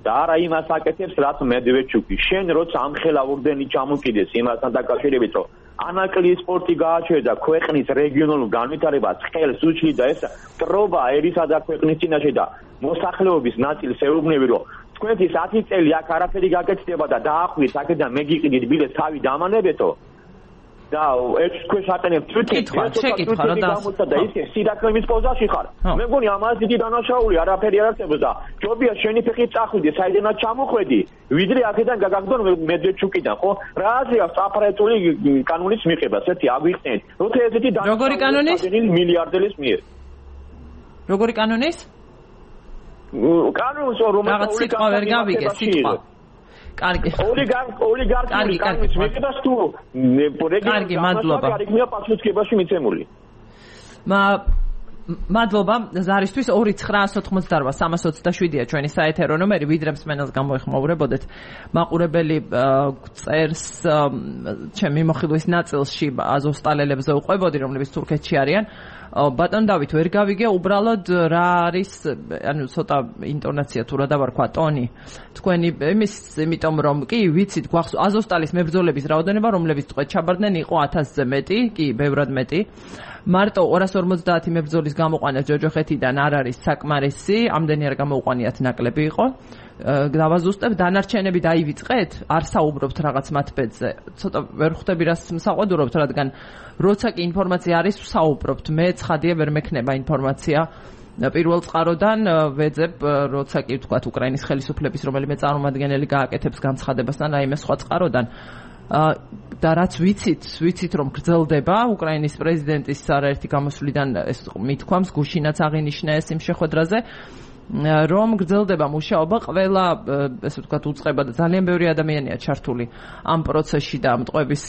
და არა იმას აკეთებს, რაც მედვედჩუკი. შენ როცა ამხელა ორდენი ჩამოკიდეს იმასთან დაკავშირებით, რომ ანაკლიის სპორტი გააჩერდა ქვეყნის რეგიონულ განვითარებას, ხელს უჭირდა ეს ტრობა ერისა და ქვეყნის წინაშე და მოსახლეობის ნაწილს ეუბნები, რომ თქვენი 10 წელი აქ არაფერი გაკეთდება და დაახვიეთ აქედან მეგიყიდით ბილეთს თავი დამანებეთო. და ეს თქვენ შატენებთ შეკითხვა რა და ისე სიდაკლემის პოზაში ხარ. მე მგონი ამას დიდი დანაშაული არაფერი არ არსებობს და ჯობია შენი ფეხით წახვიდე, საიდანაც ჩამოხვედი, ვიდრე აქედან გაგაგდონ მედვედჩუკიდან, ხო? რა აზრია საფრთხელი კანონის მიღებას, ერთი აგვიხსნით. როცა ესეთი როგორი კანონის? მილიარდელის მიერ. როგორი კანონის? კანონს რომელიც სიტყვა ვერ გავიგე, სიტყვა. კარგი. ოლიგარქი კანონის მიღებას თუ კარგი, მადლობა. კარგია პასუხისგებაში მიცემული. მადლობა ზარისთვის 2998327-ია ჩვენი საეთერო ნომერი, ვიდრე მსმენელს გამოეხმაურებოდეთ. მაყურებელი წერს ჩემი მოხილვის ნაწილში აზოვსტალელებზე უყვებოდი, რომლებიც თურქეთში არიან. ბატონ დავით ვერ გავიგე უბრალოდ რა არის, ანუ ცოტა ინტონაცია თუ რა დავარქვა ტონი თქვენი იმის, იმიტომ რომ კი ვიცით გვახსოვს აზოვსტალის მებრძოლების რაოდენობა, რომლებიც თქვენ ჩაბარდნენ, იყო 1000-ზე მეტი, კი ბევრად მეტი. მარტო 250 მებრძოლის გამოყვანა ჯოჯოხეთიდან არ არის საკმარისი, ამდენი არ გამოუყვანიათ, ნაკლები იყო. დავაზუსტებ, დანარჩენები დაივიწყეთ, არ საუბრობთ რაღაც მათ ბედზე. ცოტა ვერ ხვდები რას მსაყვედურობთ, რადგან როცა კი ინფორმაცია არის, საუბრობთ. მე ცხადია ვერ მექნება ინფორმაცია. პირველ წყაროდან ვეძებ, როცა კი ვთქვათ უკრაინის ხელისუფლების რომელიმე წარმომადგენელი გააკეთებს განცხადებას და რაიმე სხვა წყაროდან. და რაც ვიცით რომ გრძელდება უკრაინის პრეზიდენტის არაერთი გამოსვლიდან ეს მithქვამს, გუშინაც აღინიშნა ეს იმ შეხვედრაზე, რომ გრძელდება მუშაობა, ყველა ესე ვთქვათ უწყება და ძალიან ბევრი ადამიანია ჩართული ამ პროცესში და ამ ტყვების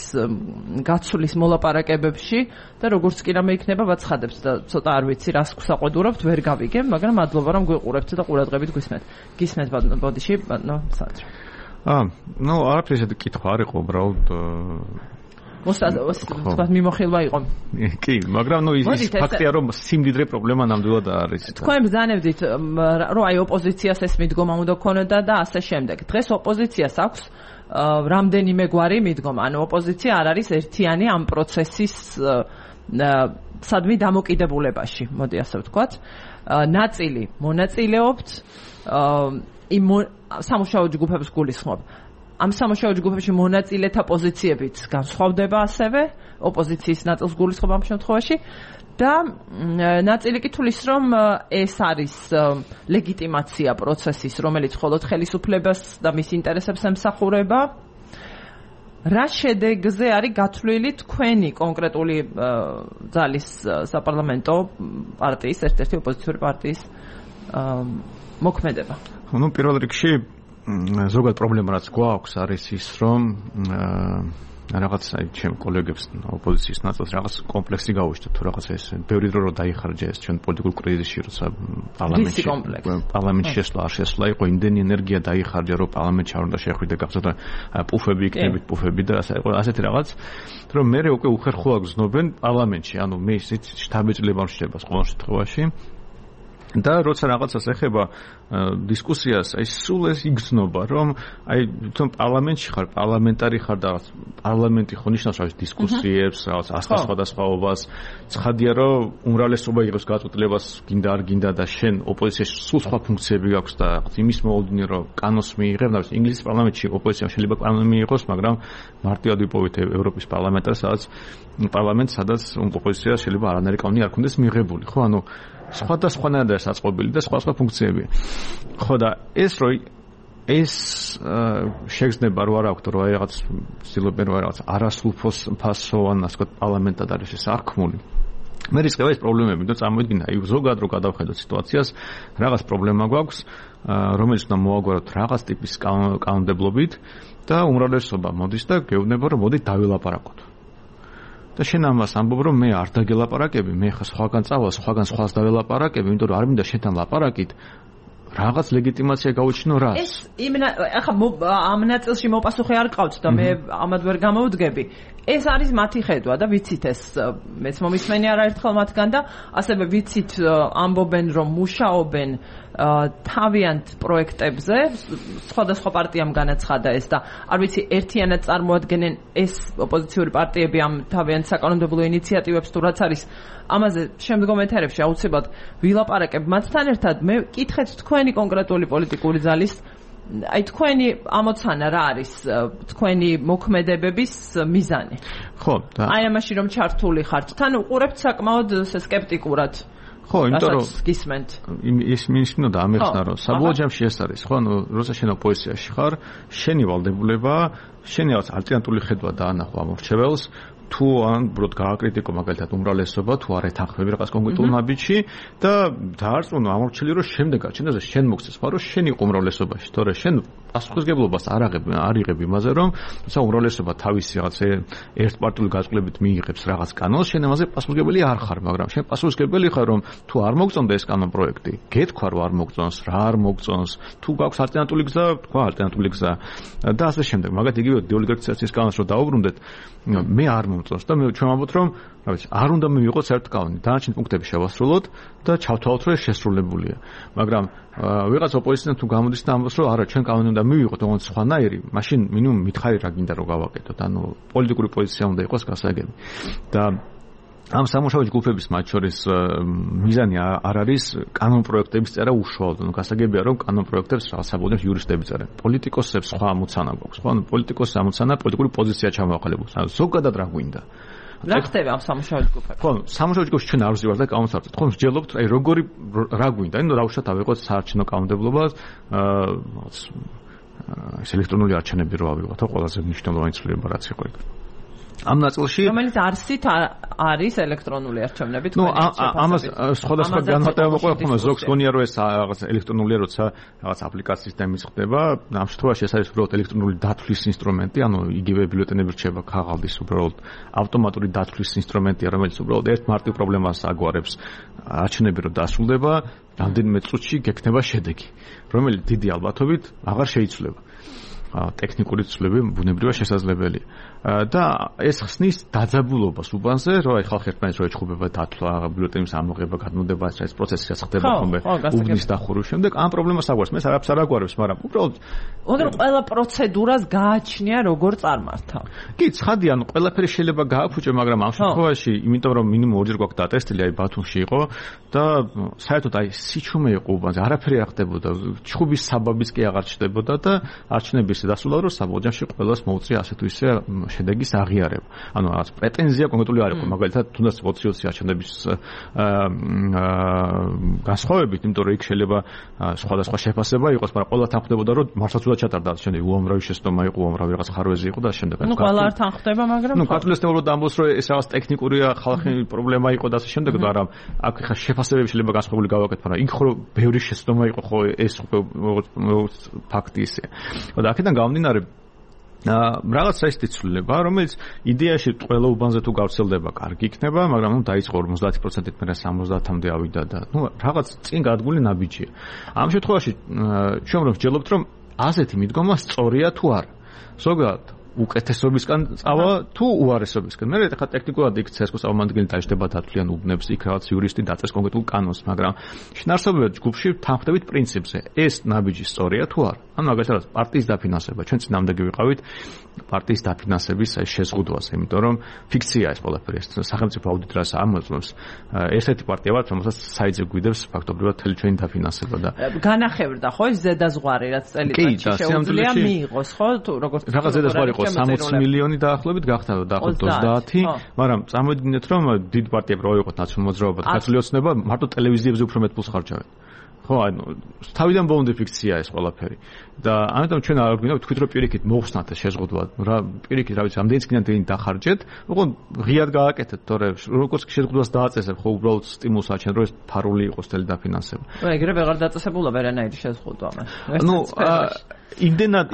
გაცვლის მოლაპარაკებებში და როგორც კი რამე იქნება ვაცხადებთ და ცოტა არ ვიცი რას გვსაყვედურობთ, ვერ გავიგე, მაგრამ მადლობა რომ გვიყურებთ და ყურადღებით გვისმენთ. გისმენთ ბოდიში, ბატონო სანდრო. ნუ არაფერი ესეთი კითხვა არ იყო უბრალოდ ვთქვათ მიმოხილვა იყო. კი, მაგრამ ნუ ის ფაქტია რომ სიმდიდრე პრობლემა ნამდვილად არის. თქვენ ბრძანებდით რომ აი ოპოზიციას ეს მიდგომა უნდა ქონოდა და ასე შემდეგ. დღეს ოპოზიციას აქვს რამდენიმე გვარი მიდგომა. ანუ ოპოზიცია არ არის ერთიანი ამ პროცესის სადმი დამოკიდებულებაში, მოდი ასე ვთქვათ. ნაწილი მონაწილეობთ იმ სამუშაო ჯგუფებს გულისხმობ. ამ სამუშაო ჯგუფებში მონაწილეთა პოზიციებიც განსხვავდება ასევე, ოპოზიციის ნაწილს გულისხმობ ამ შემთხვევაში და ნაწილი კი თulis რომ ეს არის ლეგიტიმაცია პროცესის, რომელიც მხოლოდ ხელისუფლებას და მის ინტერესებს ემსახურება. რა შედეგზე არის გათვლილი თქვენი კონკრეტული ძალის საპარლამენტო პარტიის, ერთ-ერთი ოპოზიციური პარტიის მოქმედება? ნუ პირველ რიგში ზოგადად პრობლემა რაც გვაქვს არის ის რომ რაღაც აი ჩემ კოლეგებს ოპოზიციის ნაწილს რაღაც კომპლექსი გაუჩნდა თუ რაღაც ეს ბევრი დრო რომ დაიხარჯა ეს ჩვენ პოლიტიკურ კრიზისში როცა პარლამენტში შესვლა არ შესვლა იყო იმდენი ენერგია დაიხარჯა რომ პარლამენტში არ უნდა შეხვიდე გახსოვდა პუფები იქნებით პუფები და ასეთი რაღაც რომ მე უკვე უხერხულა გზნობენ პარლამენტში ანუ მე ისიც შტაბეჭდილება რჩება ყოველ შემთხვევაში და როცა რაღაცას ეხება დისკუსიას, აი სულ ეს იგრძნობა, რომ აი თვითონ პარლამენტში ხარ, პარლამენტარი ხარ და პარლამენტი ხო ნიშნავს რა დისკუსიებს, რაღაც ასხასვადასხაობას, ცხადია რომ უმრავლესობა იღებს გაწყვეტილებას, გინდა არ გინდა და შენ ოპოზიციაში სულ სხვა ფუნქციები გაქვს და იმის მოუდინე რომ კანონს მიიღებ, და ინგლისის პარლამენტში ოპოზიცია შეიძლება კანონი მიიღოს, მაგრამ მარტივად ვიპოვეთ ევროპის პარლამენტს, სადაც ოპოზიცია შეიძლება არანაირი კანონი არ ქონდეს მიღებული, ხო, ანუ სხვადასხვანაირად არის საწყობილი და სხვა ფუნქციები. ხო და ეს შეგრძნება რო არ აქვს რომ აი რაღაც ცდილობენ რომ რაღაც არასრულფასოვან ასე ვთქვათ პარლამენტად არის ეს აღქმული. მე რისკება ეს პრობლემები და წარმოიდგინე აი ზოგადად რო გადავხედოთ სიტუაციას, რაღაც პრობლემა გვაქვს, რომელიც უნდა მოაგვაროთ რაღაც ტიპის კანონმდებლობით და უმრავლესობა მოდის და გეუბნება რომ მოდი დავილაპარაკოთ. და შენ ამას ამბობ რომ მე არ დაგელაპარაკები, მე ხა სხვაგან წავალ, სხვაგან სხვას დაველაპარაკები, იმიტომ რომ არ მინდა შენთან ლაპარაკით, რაღაც ლეგიტიმაცია გაუჩინო რა. ეს ახლა ამ ნაწილში მოპასუხე არ ყავთ და მე ამად ვერ გამოვდგები. ეს არის მათი ხედვა და ვიცით ეს მეც მომისმენი არაერთხელ მათგან და ასევე ვიცით ამბობენ რომ მუშაობენ თავიანთ პროექტებზე სხვადასხვა პარტიამ განაცხადა ეს და არ ვიცი ერთიანად წარმოადგენენ ეს ოპოზიციური პარტიები ამ თავიანთ საკანონმდებლო ინიციატივებს თუ რაც არის ამაზე შემდგომ ეთერებში აუცილებლად ვილაპარაკებ მათთან ერთად მე კითხეთ თქვენი კონკრეტული პოლიტიკური ძალის აი თქვენი ამოცანა რა არის თქვენი მოქმედებების მიზანი ხო და აი ამაში რომ ჩართული ხართ თან უყურებთ საკმაოდ სკეპტიკურად ხო იმიტომ რომ გისმენთ ის მინდა ამეხსნა რომ საბოლოო ჯამში ეს არის ხო ანუ როცა შენ ოპოზიციაში ხარ შენი ვალდებულება შენი ალტერნატიული ხედვა დაანახო ამ მრჩეველს თუ ან ბროდ გააკრიტიკო მაგალითად უმრავლესობა თუ არ ეთანხმები რაღაც კონკრეტულ ნაბიჯში და დაარწმუნო ამორჩილი რომ შემდეგ აჩენდაზე შენ მოგცეს ხო რომ შენ იყო უმრავლესობაში თორე შენ პასუხისგებლობას არ იღებ იმაზე რომ თუმცა უმრავლესობა თავისი რაღაც ერთპარტიული გაწყლებით მიიღებს რაღაც კანონს შენ ამაზე პასუხისგებელი არ ხარ მაგრამ შენ პასუხისგებელი ხარ რომ თუ არ მოგწონდა ეს კანონ პროექტი გეთქვა რომ არ მოგწონს რა არ მოგწონს თუ გაქვს ალტერნატიული გზა თქვა ალტერნატიული გზა და ასე შემდეგ მაგათ იგივე დეოლიგარქიზაციის კანონს რო დაუბრუნდეთ მე არ მომწონს და მე ჩვენ ვამბობთ რომ რა ვიცი არ უნდა მივიღოთ საერთოდ კანონი დანარჩენ პუნქტები შევასრულოთ და ჩავთვალოთ რომ ეს შესრულებულია მაგრამ ვიღაც ოპოზიციიდან თუ გამოდის და ამბობს რომ არა ჩვენ კანონი უნდა მივიღოთ ოღონდ სხვანაირი მაშინ მინიმუმ მითხარი რა გინდა რომ გავაკეთოთ ანუ პოლიტიკური პოზიცია უნდა იყოს გასაგები და ამ სამუშაო ჯგუფების მათ შორის მიზანი არ არის კანონ პროექტების წერა უშუალოდ ანუ გასაგებია რომ კანონ პროექტებს რაღაც საბოლოოდ იურისტები წერენ პოლიტიკოსებს სხვა ამოცანა გვაქვს ხო ანუ პოლიტიკოსის ამოცანა პოლიტიკური პოზიცია ჩამოაყალიბოს ანუ ზოგადად რა გვინდა რა ხდება ამ სამუშაო ჯგუფებში ხო სამუშაო ჯგუფში ჩვენ არ ვზივართ და კანონსარწმუნოებთ ხო მსჯელობთ აი როგორი რა გვინდა ანუ დავუშვათ ავიღოთ საარჩევნო კანონმდებლობას ეს ელექტრონული არჩევნები რო ავიღოთ ხო ყველაზე მნიშვნელოვანი ცვლილება რაც იყო იქ ამ ნაწილში რომელიც არსით არის ელექტრონული არჩევნები თქვენ ამას სხვადასხვა განმარტება მოყვება ხოლმე ზოგს გონია რომ ეს რაღაც ელექტრონულია როცა რაღაც აპლიკაციის დემის ხდება ამ შემთხვევაში ეს არის უბრალოდ ელექტრონული დათვლის ინსტრუმენტი ანუ იგივე ბიულეტენები რჩება ქაღალდის უბრალოდ ავტომატური დათვლის ინსტრუმენტია რომელიც უბრალოდ ერთ მარტივ პრობლემას აგვარებს არჩევნები რო დასრულდება რამდენიმე წუთში გექნება შედეგი რომელიც დიდი ალბათობით აღარ შეიცვლება ტექნიკური ცვლილება ბუნებრივად შესაძლებელია და ეს ხსნის დაძაბულობას უბანზე რომ აი ხალხი ერთმანეთს რო ეჩხუბება დათვლა ბიულეტენის ამოღება გადმოდება ეს პროცესი რაც ხდება ხოლმე უბნის დახურვის შემდეგ ამ პრობლემას აგვარებს მე არაფერს არ აგვარებს მაგრამ უბრალოდ უნდა ყველა პროცედურას გააჩნია როგორ წარმართა კი ცხადია ანუ ყველაფერი შეიძლება გააფუჭო მაგრამ ამ შემთხვევაში იმიტომ რომ მინიმუმ ორჯერ გვაქვს დატესტილი აი ბათუმში იყო და საერთოდ აი სიჩუმე იყო უბანზე არაფერი არ ხდებოდა ჩხუბის საბაბიც კი აღარ ჩნდებოდა და არჩევნების დასრულდა რომ საბოლოო ჯამში ყველას მოუწია ასე თუ ისე შედეგის აღიარება. ანუ რაღაც პრეტენზია კონკრეტული არ იყო, მაგალითად, თუნდაც 20-20 არჩევნების განსხვავებით, იმიტომ რომ იქ შეიძლება სხვადასხვა შეფასება იყოს, მაგრამ ყველა თანხმდებოდა, რომ მართლაც უნდა ჩატარდა შემდეგ უამრავი შეცდომა იყო, უამრავი რაღაც ხარვეზი იყო და შემდეგ. ნუ ყველა არ თანხმდება, მაგრამ ნუ კათოლიკოსნეულოდ ამბობს, რომ ეს რაღაც ტექნიკურია, ხალხი პრობლემა იყო და ასე შემდეგ, მაგრამ აქ ხა შეფასებები შეიძლება განსხვავებული გავაკეთო, მაგრამ იქ ხო ბევრი შეცდომა იყო, ხო ეს ფაქტი ისე. და აქედან გამომდინარე რაღაც საერთო ცვლილება, რომელიც იდეაში ყველა უბანზე თუ გავრცელდება, კარგი იქნება, მაგრამ ნუ დაიწყო 50%-ით მერე 70-მდე ავიდა და ნუ რაღაც წინ გადგული ნაბიჯია. ამ შემთხვევაში ჩვენ რომ ვჯელობთ, რომ ასეთი მიდგომა სწორია თუ არა. ზოგადად უკეთესობისგან წავა თუ უარესობისგან. მე ხა ტექნიკურად იქ ცესკოს წარმომადგენელი დაიჭდება დათვლიან უბნებს, იქ რაღაც იურისტი დაწეს კონკრეტულ კანონს, მაგრამ შინაარსობრივად ჯგუფში თანხმდებით პრინციპზე. ეს ნაბიჯი სწორია თუ არა? ანუ მაგალითად პარტიის დაფინანსება, ჩვენ წინამდეგი ვიყავით პარტიის დაფინანსების შეზღუდვას, იმიტომ რომ ფიქცია ეს ყველაფერი, სახელმწიფო აუდიტორს ამოწმებს. ერთ-ერთი პარტია ვართ, რომელსაც საიძე გვიდებს ფაქტობრივად მთელი ჩვენი დაფინანსება და განახევრდა ხო ეს ზედაზღვარი, რაც წელიწადში შეუძლია მიიღოს, ხო? თუ როგორც რაღაც ზედაზღვარი 60 მილიონი დაახლოებით გახდა დაახლოებით 30, მაგრამ წარმოვიდგინეთ რომ დიდ პარტიები რო იყოთ ნაციონალურ მოძრაობა და ქართული ოცნება მარტო ტელევიზიებზე უფრო მეტ ფულს ხარჯავენ. ხო, ანუ თავიდან ბოლომდე ფიქცია ეს ყველაფერი. და ამიტომ ჩვენ არ გვინდა ვთქვით რომ პირიქით მოხსნათ ეს შეზღუდვა. რა პირიქით რა ვიცი, ამდენიც კიდე დახარჯეთ, უყო ღიად გააკეთეთ, თორე როგორც შეზღუდვას დააწესებ, ხო უბრალოდ სტიმულს აჩენ რომ ეს ფარული იყოს თელი დაფინანსება. ეგრე ვეღარ დაწესებულა ვერანაირი შეზღუდვა მას. ნუ იმდენად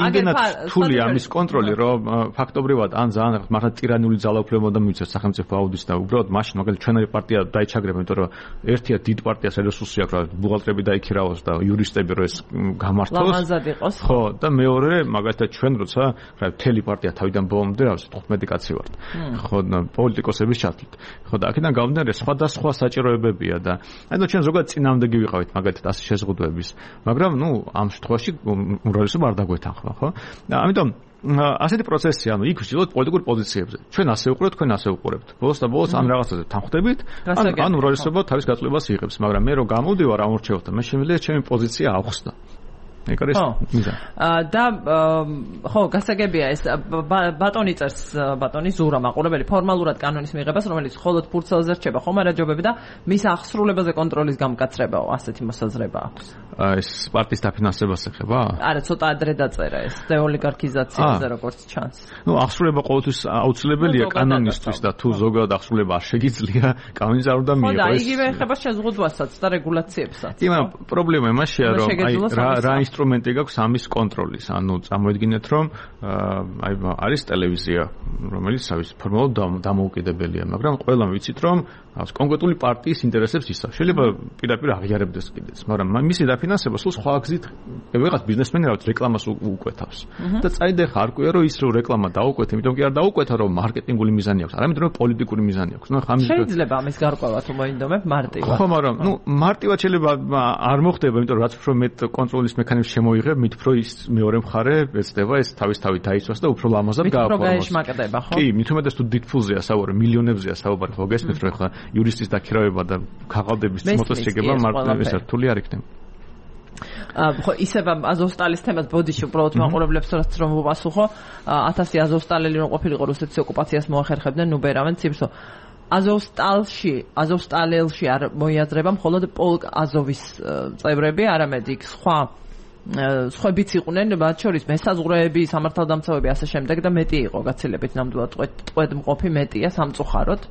რთული ამის კონტროლი, რომ ფაქტობრივად ან ძალიან მართლა ტირანიული ძალაუფლება მივიცეს სახელმწიფო აუდიტს და უბრალოდ მაშინ მაგალითად ჩვენი პარტია დაიჩაგრება, იმიტომ რომ ერთია დიდ პარტიას რესურსი აქვს, რა ბუღალტრები დაიქირავოს და იურისტები რო ეს გამართოს. ლამაზად იყოს. ხო, და მეორე მაგალითად ჩვენ როცა რა მთელი პარტია თავიდან ბოლომდე რა ვიცი 15 კაცი ვართ. ხო, პოლიტიკოსების ჩათვლით. ხო, და აქედან გამომდინარე სხვადასხვა საჭიროებებია და ანუ ჩვენ ზოგადად წინააღმდეგი ვიყავით მაგალითად ასე შეზღუდვების, მაგრამ ნუ ამ შემთხვევაში უმრავლესობა არ დაგვეთანხმა, ხო? და ამიტომ ასეთი პროცესია, ანუ იქ ვშილოთ პოლიტიკურ პოზიციებზე. ჩვენ ასე ვუყურებთ, თქვენ ასე ვუყურებთ. ბოლოს და ბოლოს ამ რაღაცაზე თანხმდებით, ან უმრავლესობა თავის გაწყვეტილებას იღებს, მაგრამ მე რო გამოვდივარ ამ ურჩევლთან, მე შემიძლია ჩემი პოზიცია ავხსნა. ეგ არის მიზანი. და ხო, გასაგებია ეს ბატონი წერს, ბატონი ზურა მაყურებელი ფორმალურად კანონის მიღებას, რომელიც მხოლოდ ფურცელზე რჩება ხომ არა ჯობები და მის აღსრულებაზე კონტროლის გამკაცრებაო, ასეთი მოსაზრება აქვს. ეს პარტიის დაფინანსებას ეხება? არა, ცოტა ადრე დაწერა ეს დეოლიგარქიზაციაზე როგორც ჩანს. ნუ აღსრულება ყოველთვის აუცილებელია კანონისთვის და თუ ზოგადად აღსრულება არ შეგიძლია, კანონის არ უნდა მიიღოს. ხო, და იგივე ეხება შეზღუდვასაც და რეგულაციებსაც. იმან პრობლემა იმაშია, რომ რა ინსტრუმენტი გაქვს ამის კონტროლის. ანუ წამოედგინეთ, რომ არის ტელევიზია, რომელიც ფორმალურად დამოუკიდებელია, მაგრამ ყველამ ვიცით, რომ კონკრეტული პარტიის ინტერესებს ისწავს. შეიძლება პირდაპირ აღიარებდეს კიდეც, მაგრამ მისი დაფინანსება სულ სხვა გზით ვიღაც ბიზნესმენი რაღაც რეკლამას უკვეთავს. და წაიდე ხარ არკვია, რომ ის რო რეკლამა დაუკვეთ, იმიტომ კი არ დაუკვეთა, რომ მარკეტინგული მიზანი აქვს, არამედ რომ პოლიტიკური მიზანი აქვს. ნუ ხამის შეიძლება ამის გარკვევა თუ მოინდომებ მარტივად. ხო, მაგრამ ნუ მარტივად შეიძლება არ მოხდება, იმიტომ რომ რაც უფრო მეტ კონტროლის მექანიზმს შემოიღებ, მით უფრო ის მეორე მხარე ეცდება ეს თავისთავად დაიცვას და უფრო ლამაზად გააფორმოს. უფრო გაეშმაკდება, ხო? კი, მით უმეტეს თუ დიდ ფულზეა საუბარი, მილიონებზეა საუბარი, ხო გესმით, რომ ხა იურისტის დაქირავება და ქაღალდების მოწოს შეგება მარტივად რთული არ იქნება. ხო, ისევ აზოვსტალის თემას ბოდიში უბრალოდ მაყურებლებს რომ ვუპასუხო, 1000 აზოვსტალელი რომ ყოფილიყო რუსეთის ოკუპაციას მოახერხებდნენ, ნუ ბერავენ ციფრსო. აზოვსტალელში არ მოიაზრება მხოლოდ პოლკ აზოვის წევრები, არამედ იქ სხვებიც იყვნენ, მათ შორის მესაზღვრეები, სამართალდამცავები ასე შემდეგ და მეტი იყო გაცილებით ნამდვილად ტყვედმყოფი მეტია სამწუხაროდ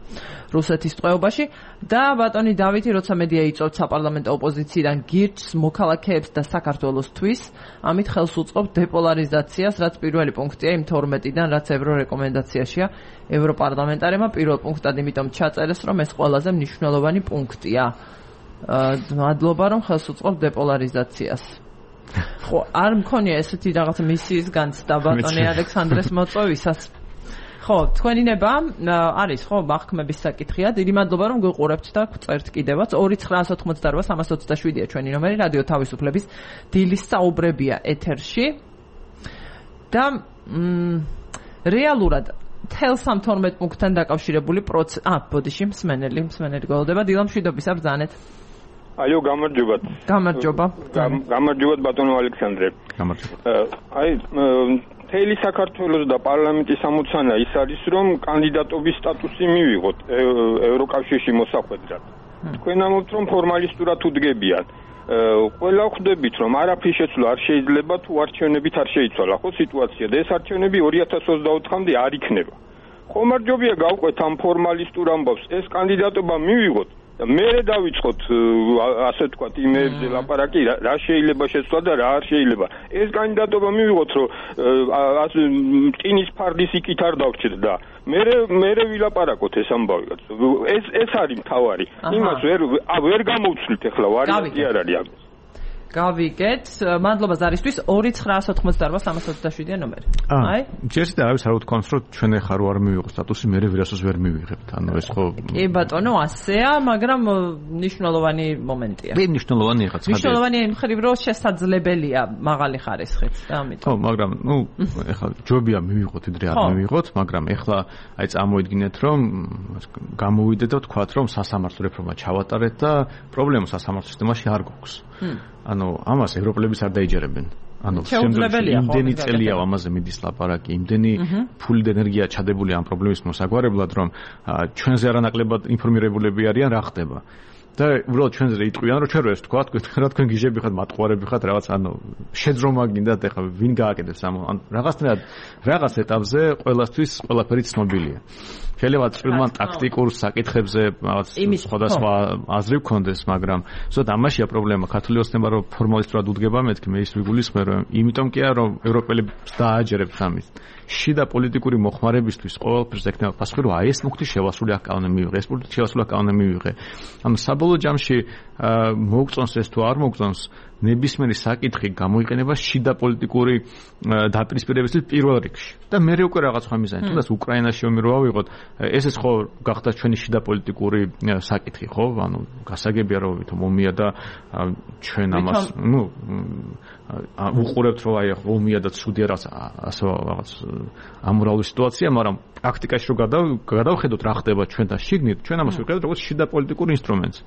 რუსეთის ტყვეობაში და ბატონი დავითი როცა მედია იწვევთ საპარლამენტო ოპოზიციიდან გირჩს მოქალაქეებს და საქართველოსთვის, ამით ხელს უწყობ დეპოლარიზაციას, რაც პირველი პუნქტია იმ 12-დან, რაც ევრორეკომენდაციაშია ევროპარლამენტარებმა პირველ პუნქტად იმიტომ ჩაწერეს, რომ ეს ყველაზე მნიშვნელოვანი პუნქტია. მადლობა რომ ხელს უწყობ დეპოლარიზაციას. ხო, არ მქონია ესეთი რაღაცა მისიის განცდა ბატონი ალექსანდრეს მოწვევისას. ხო, თქვენი ნება არის ხო მახქმების საკითხია. დიდი მადლობა რომ გიყურებთ და წერთ კიდევაც 2988327-ია ჩვენი ნომერი, რადიო თავისუფლების დილის საუბრებია ეთერში. და რეალურად თელ 12 პუნქტთან დაკავშირებული ბოდიში მსმენელი გველოდება დილამშვიდობის აბრძანეთ. Алло, გამარჯობათ. გამარჯობა. გამარჯობათ ბატონო ალექსანდრე. გამარჯობა. აი, მთელი საქართველოს და პარლამენტის ამოცანა ის არის, რომ კანდიდატობის სტატუსი მივიღოთ ევროკავშირში მოსახვედრად. თქვენ ამბობთ, რომ ფორმალისტურად უდგებიან. ყველა ხვდებით, რომ არაფრის შეცვლა არ შეიძლება თუ არჩევნებით არ შეიცვალა, ხო სიტუაცია და ეს არჩევნები 2024-მდე არ იქნება. ხომ არ ჯობია გავყვეთ ამ ფორმალისტურ ამბავს, ეს კანდიდატობა მივიღოთ. მე დავიწყოთ ასე თქვა იმეებზე ლაპარაკი რა შეიძლება შეცვლა და რა არ შეიძლება ეს კანდიდატობა მივიღოთ რომ ტინის ფარდის იქით არ დავჭირდა მე ვილაპარაკოთ ეს ამბავი ეს არის მთავარი იმას ვერ გამოვცვლით ახლა ვარიანტი არ არის ამის გავიგეთ. მადლობა ზარისთვის 2988327-ია ნომერი. აი, ჯერ და არის არ ვთქვამს, რომ ჩვენ ახლა არ მივიღო სტატუსი, მე ვირასოს ვერ მივიღებთ. ანუ ეს ხო კი ბატონო, ასეა, მაგრამ მნიშვნელოვანი მომენტია. მე მნიშვნელოვანია ხა. მნიშვნელოვანია იმ ხრივ, რომ შესაძლებელია მაღალი ხარისხით და ამიტომ. ხო, მაგრამ ნუ ახლა ჯობია მივიღოთ, იდრე არ მივიღოთ, მაგრამ ახლა აი წამოიდგინეთ, რომ გამოვიდეთ და ვთქვათ, რომ სასამართლო რეფორმა ჩავატარეთ და პრობლემა სასამართლო სისტემაში არ გვაქვს. ანუ ამას ევროპელების არ დაიჯერებენ. ანუ იმდენი წელია ამაზე მიდის ლაპარაკი, იმდენი ფული და ენერგია ჩადებული ამ პრობლემის მოსაგვარებლად, რომ ჩვენზე არანაკლებად ინფორმირებულები არიან რა ხდება. და უბრალოდ ჩვენზე იტყვიან, რომ ჩვენ რო ეს თქვათ, რა თქვენ გიჟები ხართ, მატყუარები ხართ, რაღაც ანუ შეძრომა გინდათ, ეხლა ვინ გააკეთებს ამ რაღაც ეტაპზე ყველასთვის ყველაფერი ცნობილია. შეიძლება წვრილმან ტაქტიკურ საკითხებზე რაღაც სხვადასხვა აზრი გქონდეს, მაგრამ ზუსტად ამაშია პრობლემა. ქართული ოცნება რომ ფორმალისტურად უდგება, მეთქი მე ის ვიგულისხმე რომ იმიტომ კი არა რომ ევროპელებს დააჯერებთ ამის შიდა პოლიტიკური მოხმარებისთვის ყოველფერს ექნება პასუხი რომ აი ეს მუქთი შევასრული აქ კანონი მივიღე, ეს პუნქტი შევასრული აქ კანონი მივიღე. ანუ საბოლოო ჯამში მოგწონს ეს თუ არ მოგწონს ნებისმიერი საკითხი გამოიყენება შიდა პოლიტიკური დაპირისპირებისთვის პირველ რიგში. და მე უკვე რაღაც სხვა მიზანი. თუნდაც უკრაინაში ომი რო ავიღოთ, ესეც ხო გახდა ჩვენი შიდა პოლიტიკური საკითხი, ხო? ანუ გასაგებია რომ ვითომ ომია და ჩვენ ამას, უყურებთ რომ აი ომია და ცუდია ასე რაღაც ამორალური სიტუაცია, მაგრამ პრაქტიკაში რო გადავხედოთ რა ხდება ჩვენთან შიგნით, ჩვენ ამას ვიყენებთ როგორც შიდა პოლიტიკურ ინსტრუმენტს.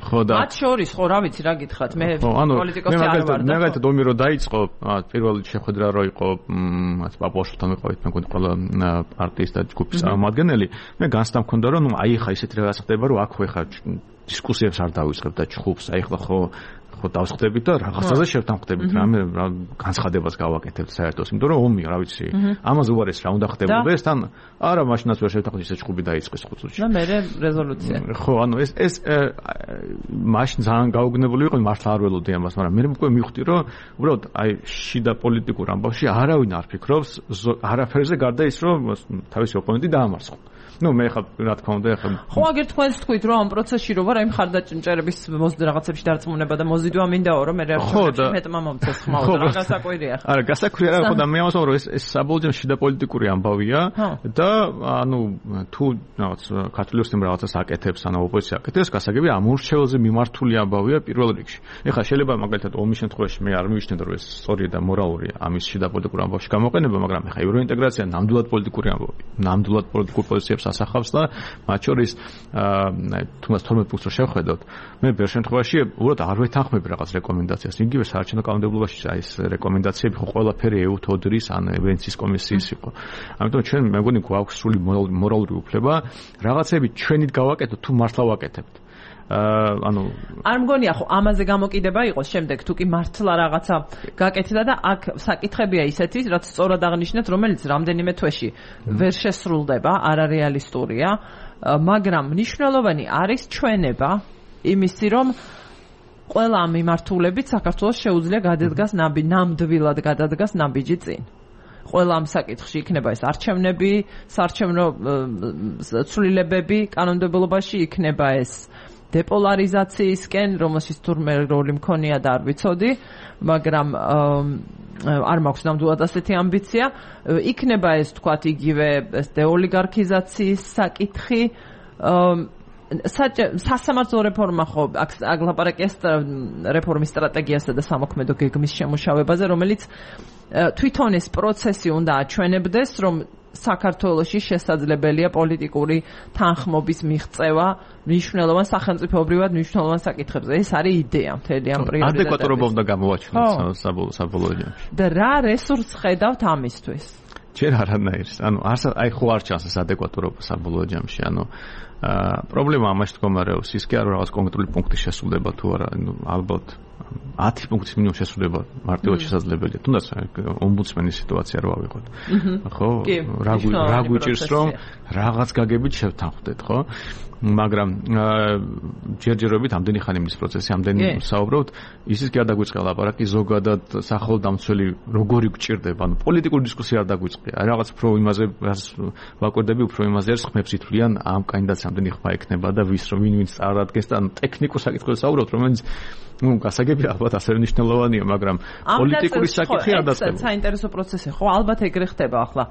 ხო და მათ შორის ხო რა ვიცი რა გითხრათ მე პოლიტიკოსი არ ვარ და მე ომი რო დაიწყო პირველი შეხვედრა რო იყო მათ პაპუაშთან ვიყავით მე მგონი ყველა პარტიის და ჯგუფის წარმომადგენელი მე განცდა მქონდა რომ აი ხა ისეთი რაღაც ხდება რომ აქ ხა დისკუსიებს არ დავიწყებ და ჩხუბს აი ხა ხო დავსხდებით და რაღაცაზე შევთანხმდებით რამე განცხადებას გავაკეთებთ საერთოდ იმიტომ რომ ომია რა ვიცი ამაზე უარეს რა უნდა ხდებოდეს თან არა მაშინაც ვერ შევთანხმდით ეს ჩხუბი დაიწყეს ხუთში და მე რეზოლუცია ხო ანუ ეს მაშინ ძალიან გაუგნებელი იყო მართლა არ ველოდი ამას მაგრამ მე უკვე მივხვდი რომ უბრალოდ აი შიდა პოლიტიკურ ამბავში არავინ არ ფიქრობს არაფერზე გარდა ის რომ თავისი ოპონენტი დაამარცხო ну მე ხა რა თქმა უნდა ხა ხო აგერ თქვენს თქვით რომ ამ პროცესში რო ვარ აი მხარდაჭერების რაღაცებში დარწმუნება და მოზიდვა მინდაო რომ მე რეაქცია მეტმა მომწეს ხმაურს რა გასაკვირია არა გასაკვირია რა ხო და მე ამას რომ ეს საბოლოო შიდა პოლიტიკური ამბავია და ანუ თუ რაღაც ქართული ოცნება რაღაცას აკეთებს ანუ ოპოზიცია აკეთებს გასაგებია ამ ურჩეველზე მიმართული ამბავია პირველ რიგში ეხლა შეიძლება მაგალითად ომის შემთხვევაში მე არ მივიშნეთ რომ ეს სწორია და მორალურია ამის შიდა პოლიტიკურ ამბავში გამოყენება მაგრამ ეხლა ევროინტეგრაცია ნამდვილად პოლიტიკური ამბავია ნამდვილად პოლიტიკურ პოზიციებს ასახავს და მათ შორის თუნდაც 12 პუნქტს რო შევხედოთ მე ბევრ შემთხვევაში უბრალოდ არ ვეთანხმები რაღაც რეკომენდაციას იგივე საარჩევნო კანონმდებლობაში აი ეს რეკომენდაციები ხო ყველაფერი EU-თოდრის ან ვენეციის კომისიის იყო ამიტომ ჩვენ მე მგონი გვაქვს სრული მორალური უფლება რაღაცები ჩვენით გავაკეთოთ თუ მართლა ვაკეთებთ ანუ არ მგონია ხო ამაზე გამოკიდება იყოს შემდეგ თუ კი მართლა რაღაცა გაკეთდა და აქ საკითხებია ისეთი რაც სწორად აღნიშნეთ რომელიც რამდენიმე თვეში ვერ შესრულდება არარეალისტურია მაგრამ მნიშვნელოვანი არის ჩვენება იმისი რომ ყველა ამ მიმართულებით საქართველოს შეუძლია გადადგას ნამდვილად გადადგას ნაბიჯი წინ ყველა ამ საკითხში იქნება ეს არჩევნები საარჩევნო ცვლილებები კანონმდებლობაში იქნება ეს დეპოლარიზაციისკენ, რომელშიც თურმე როლი მქონია და არ ვიცოდი, მაგრამ არ მაქვს ნამდვილად ასეთი ამბიცია. იქნება ეს თქვათ იგივე ეს დეოლიგარქიზაციის საკითხი. სასამართლო რეფორმა ხო აქ ლაპარაკია რეფორმის სტრატეგიასა და სამოქმედო გეგმის შემუშავებაზე, რომელიც თვითონ ეს პროცესი უნდა აჩვენებდეს, რომ საქართველოში შესაძლებელია პოლიტიკური თანხმობის მიღწევა მნიშვნელოვან სახელმწიფოებრივად მნიშვნელოვან საკითხებზე. ეს არის იდეა მთელი ამ პრიორიტეტების. ადეკვატურობა უნდა გამოვაჩინოთ საბოლოო ჯამში. და რა რესურსს ხედავთ ამისთვის? ჯერ არანაირს. ანუ აი ხო არ ჩანს ეს ადეკვატურობა საბოლოო ჯამში. ანუ პრობლემა ამაში მდგომარეობს ის კი არა რაღაც კონკრეტული პუნქტის შესრულება თუ არა ალბათ 10 პუნქტის მინიმუმ შესრულება მარტივად შესაძლებელია თუნდაც ომბუდსმენის სიტუაცია რო ავიღოთ ხო რა გვიჭირს რომ რაღაც გაგებით შევთანხმდეთ ხო მაგრამ ჯერჯერობით ამდენი ხანი მის პროცესი ამდენი საუბრობთ ისიც კი არ დაგვიწყია ლაპარაკი ზოგადად სახელდამცველი როგორი გჭირდება ანუ პოლიტიკური დისკუსია არ დაგვიწყია რაღაც უფრო იმაზე ვაკვირდები უფრო იმაზე არის ხმებს ითვლიან ამ კანდიდატს ამდენი ხმა ექნება და ვის რომ ვინ წარადგენს და ტექნიკურ საკითხებზე საუბრობთ რომელიც ну გასაგებია ალბათ ასე მნიშვნელოვანია მაგრამ პოლიტიკური საკითხი არ დასწრება საინტერესო პროცესი ხო ალბათ ეგრე ხდება ახლა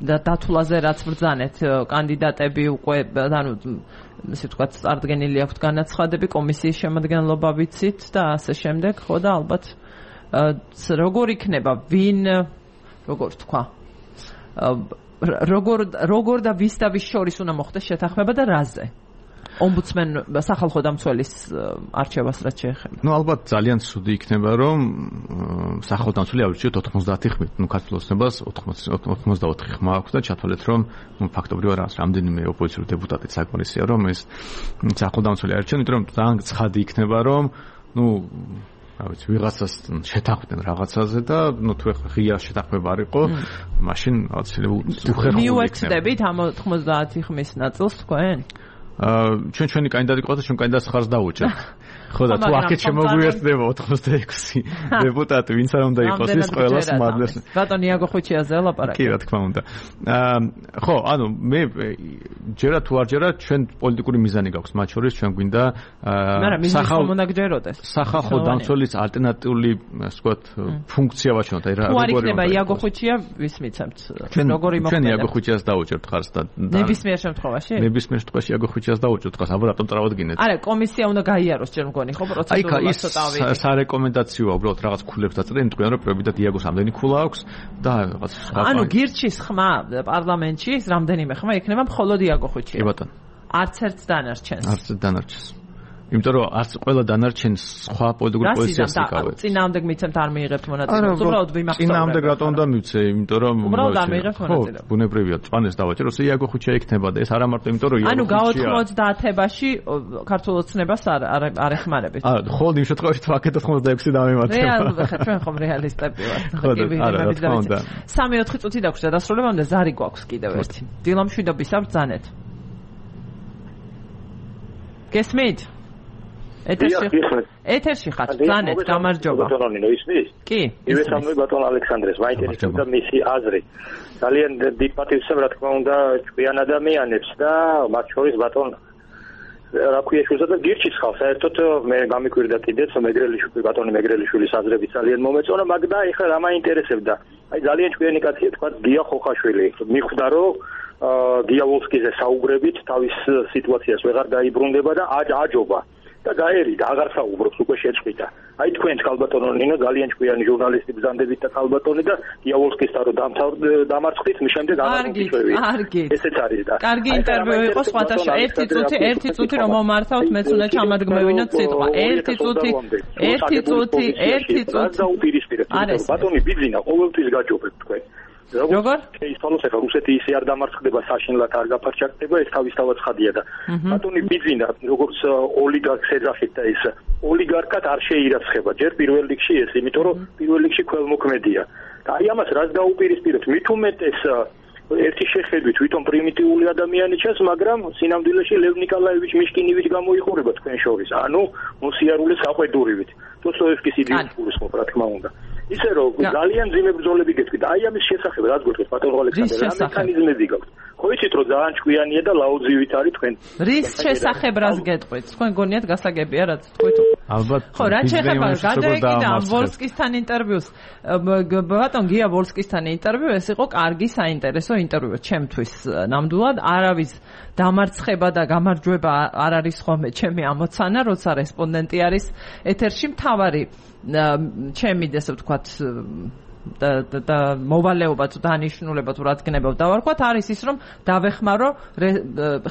და დათვლაზე რაც ბრძანეთ კანდიდატები უკვე ანუ ესე ვთქვათ წარდგენილი აქვთ განაცხადები კომისიის შემადგენლობა ვიცით და ასე შემდეგ ხო და ალბათ როგორ იქნება ვინ როგორ თქვა როგორ და ვის და ვის შორის უნდა მოხდეს შეთანხმება და რაზე ომბუდსმენ სახალხო დამცველის არჩევას რაც შეეხება. ნუ ალბათ ძალიან ცუდი იქნება რომ სახალხო დამცველი ავირჩიოთ 90 ხმით. ნუ ქართულ ოცნებას 84 ხმა აქვს და ჩათვალეთ რომ ნუ ფაქტობრივად არის რამდენიმე ოპოზიციური დეპუტატი საკმარისია რომ ეს სახალხო დამცველი არჩეონ, იმიტომ რომ ძალიან ცხადი იქნება რომ ნუ რა ვიცი, ვიღაცას შეთანხმდნენ რაღაცაზე და თუ ეხლა ღია შეთანხმება არ იყო, მაშინ რაღაცილები უხერხული იქნება. მიუერთდებით ამ 90 ხმის ნაწილს თქვენ? ჩვენი კანდიდატი ყავდა, ჩვენ კანდიდატს ხარს დავუჭერთ. ხო და თუ აქეთ შემოგვიერთდება 86 დეპუტატი, ვინც არ უნდა იყოს ის ყველას მარდეს. ბატონი იაგო ხუჩიაზე ლაპარაკი. კი, რა თქმა უნდა. ხო, ანუ მე ჯერა თუ არ ჯერა ჩვენ პოლიტიკური მიზანი გაქვს, მათ შორის ჩვენ გვინდა სახალხო დამცველის ალტერნატიული, ასე ვთქვათ, ფუნქცია ვაჩვენოთ. აი რა როგორი თუ არ იქნება იაგო ხუჩია, ვის მიცემთ? როგორი მოხდება? ჩვენ იაგო ხუჩიას დავუჭერთ ხარს და ნებისმიერ შემთხვევაში? ნებისმიერ შემთხვევაში იაგო ხუჩიას დავუჭერთ ხარს, აბა რატომ წავადგინეთ? არა, კომისია უნდა გაიაროს ჯერ მგონი, ხო, პროცედურულად ცოტა ავიღეთ. სარეკომენდაციოა, უბრალოდ რაღაც ქულებს დაწერენ, თქვენ რომ პრობიტად იაგოს ამდენი ქულა აქვს და რაღაც ანუ გირჩის ხმა პარლამენტში, რამდენიმე ხმა იქნება მხოლოდ იაგო ხუჩია. კი ბატონო. არც ერთ დანარჩენს. არც ერთ დანარჩენს. იმიტომ რომ არც ყველა დანარჩენს სხვა პოლიტიკური პოზიციას იკავებს. წინააღმდეგ მიცემთ არ მიიღებთ მონაწილეობას. უბრალოდ ვიმახსოვრებ. წინააღმდეგ რატომ და მივცე, იმიტომ რომ უბრალოდ არ მიიღებთ მონაწილეობას. ბუნებრივია, წვანეს დავაჭერო, იაგო ხუჩია იქნება და ეს არა მარტო იმიტომ რომ ანუ გაოთხმოცდაათებაში ქართულ ოცნებას არ ეხმარებით. არა, ხოლმე იმ შემთხვევაში თუ აქეთ 86 დამემართება. რეალურად ხა ჩვენ ხომ რეალისტები ვართ. კი ვიღებებით და 3-4 წუთი დაგვჭირდა დასრულებამდე ზარი გვაქვს კიდევ ერთი. დილამშვიდობისა ბრძანეთ. გესმით? ეთერში ხართ, ბრძანეთ, გამარჯობა. ბატონო ისმის? კი. ივესამნი ბატონ ალექსანდრეს, მაინტერესებდა მისი აზრი. ძალიან დიდ პატივს რა თქმა უნდა ჭკვიან ადამიანებს და მათ შორის ბატონ რა ქვია შულსა და გირჩის ხალხს საერთოდ მე გამიკვირდა კიდეც ბატონი მეგრელიშვილის აზრები ძალიან მომეწონა, მაგრამ ეხლა რა მაინტერესებდა? აი ძალიან ჭკვიანი კაცია თქვა გია ხოხაშვილი. მიხვდა რომ გია ვოლსკიზე საუბრებით თავის სიტუაციას ვეღარ დაიბრუნდება და აჯობა. და გაერიდა, აღარ საუბრობს, უკვე შეწყვიტა. აი თქვენც ქალბატონო ნინო ძალიან ჭკვიანი ჟურნალისტი ბრძანდებით და ქალბატონი და იაოლსკის რო დამარცხით, მის შემდეგ არგით. ესეც არის და. კარგი ინტერვიუ იყო სხვათაშორის. ერთი წუთი რომ მომართავთ, მეც უნდა ჩამადგმევინოთ სიტყვა. ერთი წუთი. ბატონი ბიძინა, ყოველთვის გაჯობებთ თქვენ. როგორ? ისწავლოს ახლა რუსეთი ისე არ დამარცხდება საშინლად არ გაფარჩაკდება ეს თავისთავად ხადია და ბატონი ბიძინა როგორც ოლიგარქს ეძახით და ეს ოლიგარქად არ შეირაცხება ჯერ პირველ რიგში ეს იმიტომ რომ პირველ რიგში ქველმოქმედია და აი ამას რაც დაუპირისპიროთ მით უმეტეს ერთი შეხედვით ვითომ პრიმიტიული ადამიანი ჩანს მაგრამ სინამდვილეში ლევ ნიკოლაევიჩ მიშკინივით გამოიყურება თქვენ შორის ანუ მოსიარულე საყვედურივით დოსტოევსკის იდეის ხო რა თქმა უნდა ისე რომ ძალიან ძიმე ბრძოლები გეტყვით აი ამის შესახებ რაც გეტყვით ბატონო ალექსანდრე რა მექანიზმები გაქვთ ხო იცით რომ ძალიან ჭკვიანია და ლაუძივით არის თქვენ რის შესახებ რას გეტყვით თქვენ გონიათ გასაგებია რაც თქვით ალბათ ხო რა შეიძლება გადაეკიდა ვოლსკისთან ინტერვიუს ბატონ გია ვოლსკისთან ინტერვიუ ეს იყო კარგი საინტერესო ინტერვიუ ჩემთვის ნამდვილად არავის დამარცხება და გამარჯვება არ არის ხოლმე ჩემი ამოცანა როცა რესპონდენტი არის ეთერში მთავარი ჩემი ესე ვთქვათ და მოვალეობა თუ დანიშნულება თუ რაც გნებავ დავარქვათ არის ის რომ დავეხმარო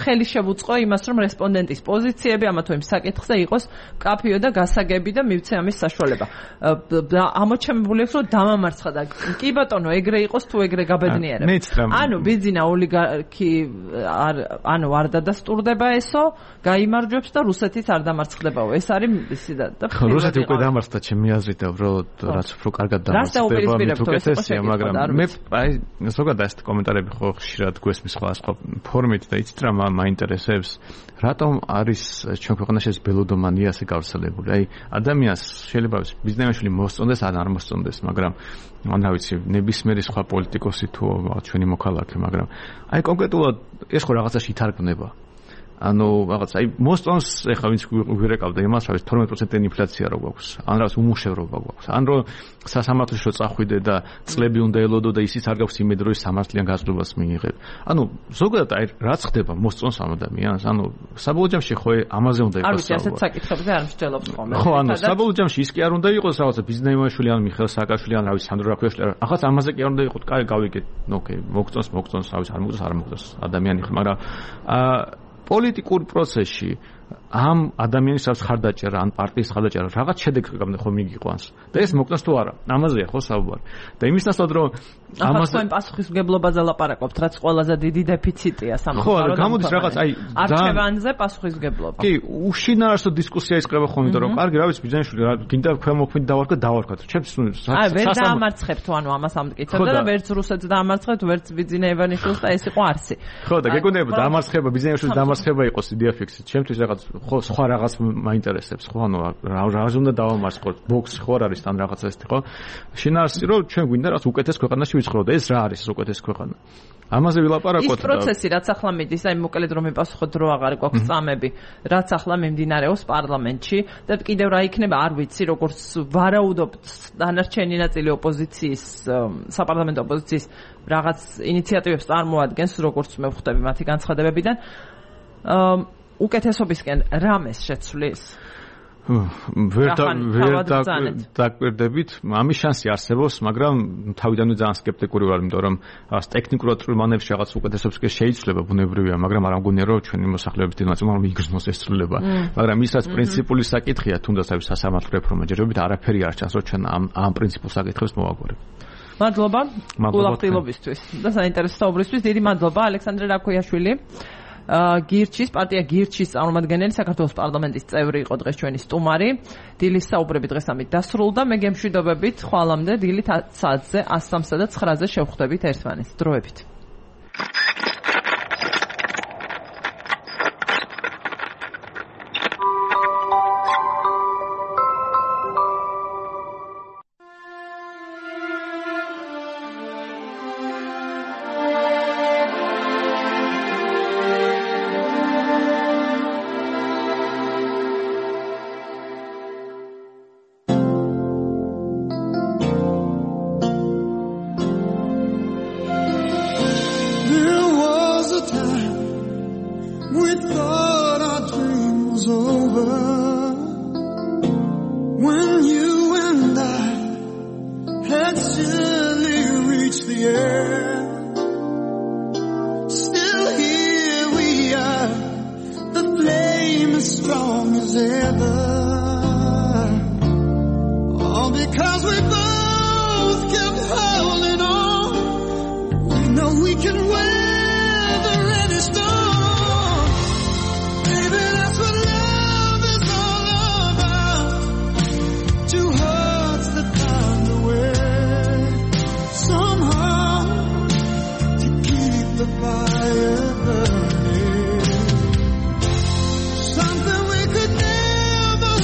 ხელი შევუწყო იმას რომ რესპონდენტის პოზიციები ამა თუ იმ საკითხზე იყოს კაფიო და გასაგები და მივცე ამის საშუალება ამოჩემებული აქვს რომ დამამარცხა და კი ბატონო ეგრე იყოს თუ ეგრე გაბედნიერებს ანუ ბიძინა ოლიგარქი ანუ არ დადასტურდება ესო გაიმარჯვებს და რუსეთიც არ დამარცხდებაო ეს არის ისი და რუსეთი უკვე დამარცხდა ჩემი აზრით და უბრალოდ რაც უფრო კარგად დამარცხდება თუკეთესია, მაგრამ მე აი ზოგადად ეს კომენტარები ხო ხშირად გვესმის სხვა ფორმით და იცით რა მაინტერესებს რატომ არის ჩვენ ქვეყანაში ეს ბელოდომანია ასე გავრცელებული აი ადამიანს შეიძლება ბიზნესმენი მოსწონდეს ან არ მოსწონდეს მაგრამ ან რა ვიცი ნებისმიერი სხვა პოლიტიკოსი თუ ჩვენი მოქალაქე მაგრამ აი კონკრეტულად ეს ხო რაღაცაში ითარგმნება ანუ რაღაც აი მოსწონს ეხლა ვინც გვირეკავდა იმას რა ვიცი 12% ინფლაცია რო გვაქვს ან რაღაც უმუშევრობა გვაქვს ან რო სასამართლოში რო წახვიდე და წლები უნდა ელოდო და ისიც არ გაქვს იმედი რომ სამართლიან გაზრდობას მიიღებ ანუ ზოგადად აი რაც ხდება მოსწონს ამ ადამიანს ანუ საბოლოო ჯამში ხო ამაზე უნდა იყოს საუბარი არ ვიცი ასეთ საკითხებზე არ მსჯელობ ხოლმე ხო ანუ საბოლოო ჯამში ის კი არ უნდა იყოს რაღაცა ბიზნესმენშვილი ან მიხეილ სააკაშვილი ან რა ვიცი სანდრო რაქვიაშვილი ახაც ამაზე კი არ უნდა იყოს კაი გავიგეთ ოკეი მოგწონს რა ვიცი არ მოგწონს ადამიანი ხო მაგრამ პოლიტიკურ პროცესში ამ ადამიანის რაც ხარდაჭერა ან პარტიის ხარდაჭერა რაღაც შედეგს ხომ მიგიყვანს და ეს მოკნას თუ არა ამაზეა ხო საუბარი და იმის ნაცვლად რომ ამას თქვენ პასუხისმგებლობაზე ლაპარაკობთ რაც ყველაზე დიდი დეფიციტია სამწუხაროდ ხო გამოდის რაღაც აი არჩევანზე პასუხისმგებლობა კი უშინაარსო დისკუსია იწყება ხოლმე რომ კარგი რა ვიცი ბიზნესში გინდა ქვემოქმით დავარქვა ჩემს ვერ დაამარცხებთ ანუ ამას ამტკიცებდა და ვერც რუსეთს დაამარცხებთ ვერც ბიზნეს ევანიშვილს და ეს იყო არსი ხო და გეკონებოდა დამარცხება ბიზნესში დამარცხება იყოს იდეა ფიქსით ჩემთვის რაღაც ხო სხვა რაღაც მაინტერესებს ხო ანუ რა უნდა დავამარცხოთ ბოქს ხო არის თან რაღაცა ეს ხო შინაარსი რომ ჩვენ გვინდა რაც უკეთეს ქვეყანაში ვიცხოვროთ ეს რა არის უკეთეს ქვეყანა ამაზე ვილაპარაკოთ ის პროცესი რაც ახლა მიდის აი მოკლედ რომ მიპასუხოთ დრო აღარ გვაქვს წამები რაც ახლა მიმდინარეობს პარლამენტში და კიდევ რა იქნება არ ვიცი როგორც ვარაუდობთ დანარჩენი ნაწილი ოპოზიციის საპარლამენტო ოპოზიციის რაღაც ინიციატივებს წარმოადგენს როგორც მე ვხვდები მათი განცხადებებიდან უკეთესობისკენ რამეს შეცვლის ვერ დაკვირდებით ამის შანსი არსებობს მაგრამ თავიდანვე ძალიან სკეპტიკური ვარ იმიტომ რომ ტექნიკურად მანერში რაღაც უკეთესობისკენ შეიძლება ბუნებრივია მაგრამ არ ამგონია რომ ჩვენი მოსახლეობის დიდი ნაწილი რომ იგრძნოს ეს ცვლილება მაგრამ ის რაც პრინციპული საკითხია თუნდაც აი სასამართლო რეფორმა ჯერჯერობით არაფერი არ ჩანს რომ ჩვენ ამ პრინციპულ საკითხებს მოვაგვარებთ მადლობა ულახდილობისთვის და საინტერესო საუბრისთვის დიდი მადლობა ალექსანდრე რაქოიაშვილი გირჩის პარტია გირჩის წარმომადგენელი საქართველოს პარლამენტის წევრი იყო დღეს ჩვენი სტუმარი დილის საუბრები დღეს ამით დასრულდა მე გემშვიდობებით ხვალამდე დილით 10 საათზე 103-სა და 9-ზე შევხვდებით ერთმანეთს დროებით Something we could never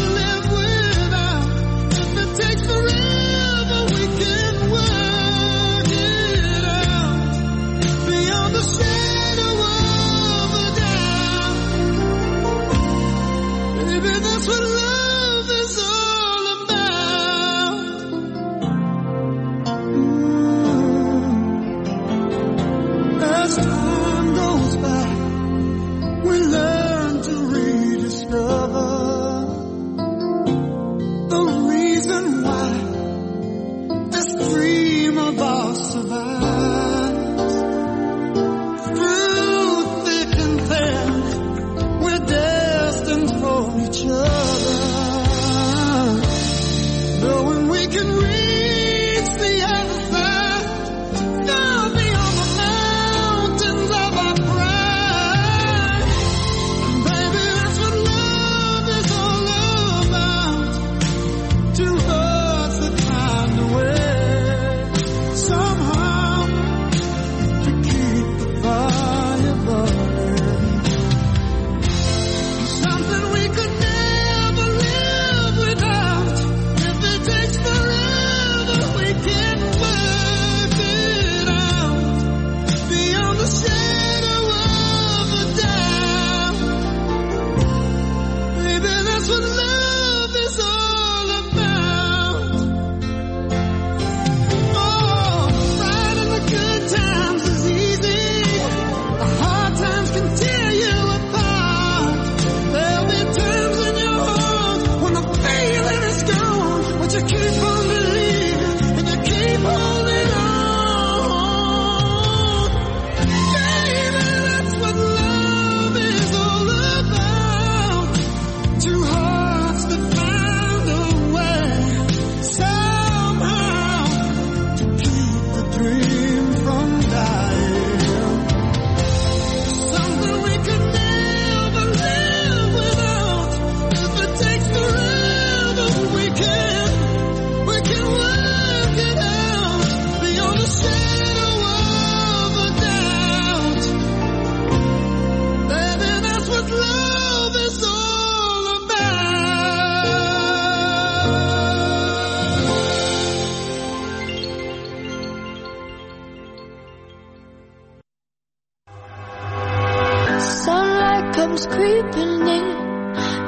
comes creeping in,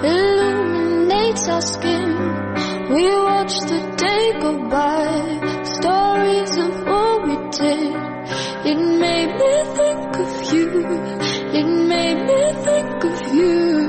illuminates our skin. We watch the day go by, stories of what we did. It made me think of you, it made me think of you.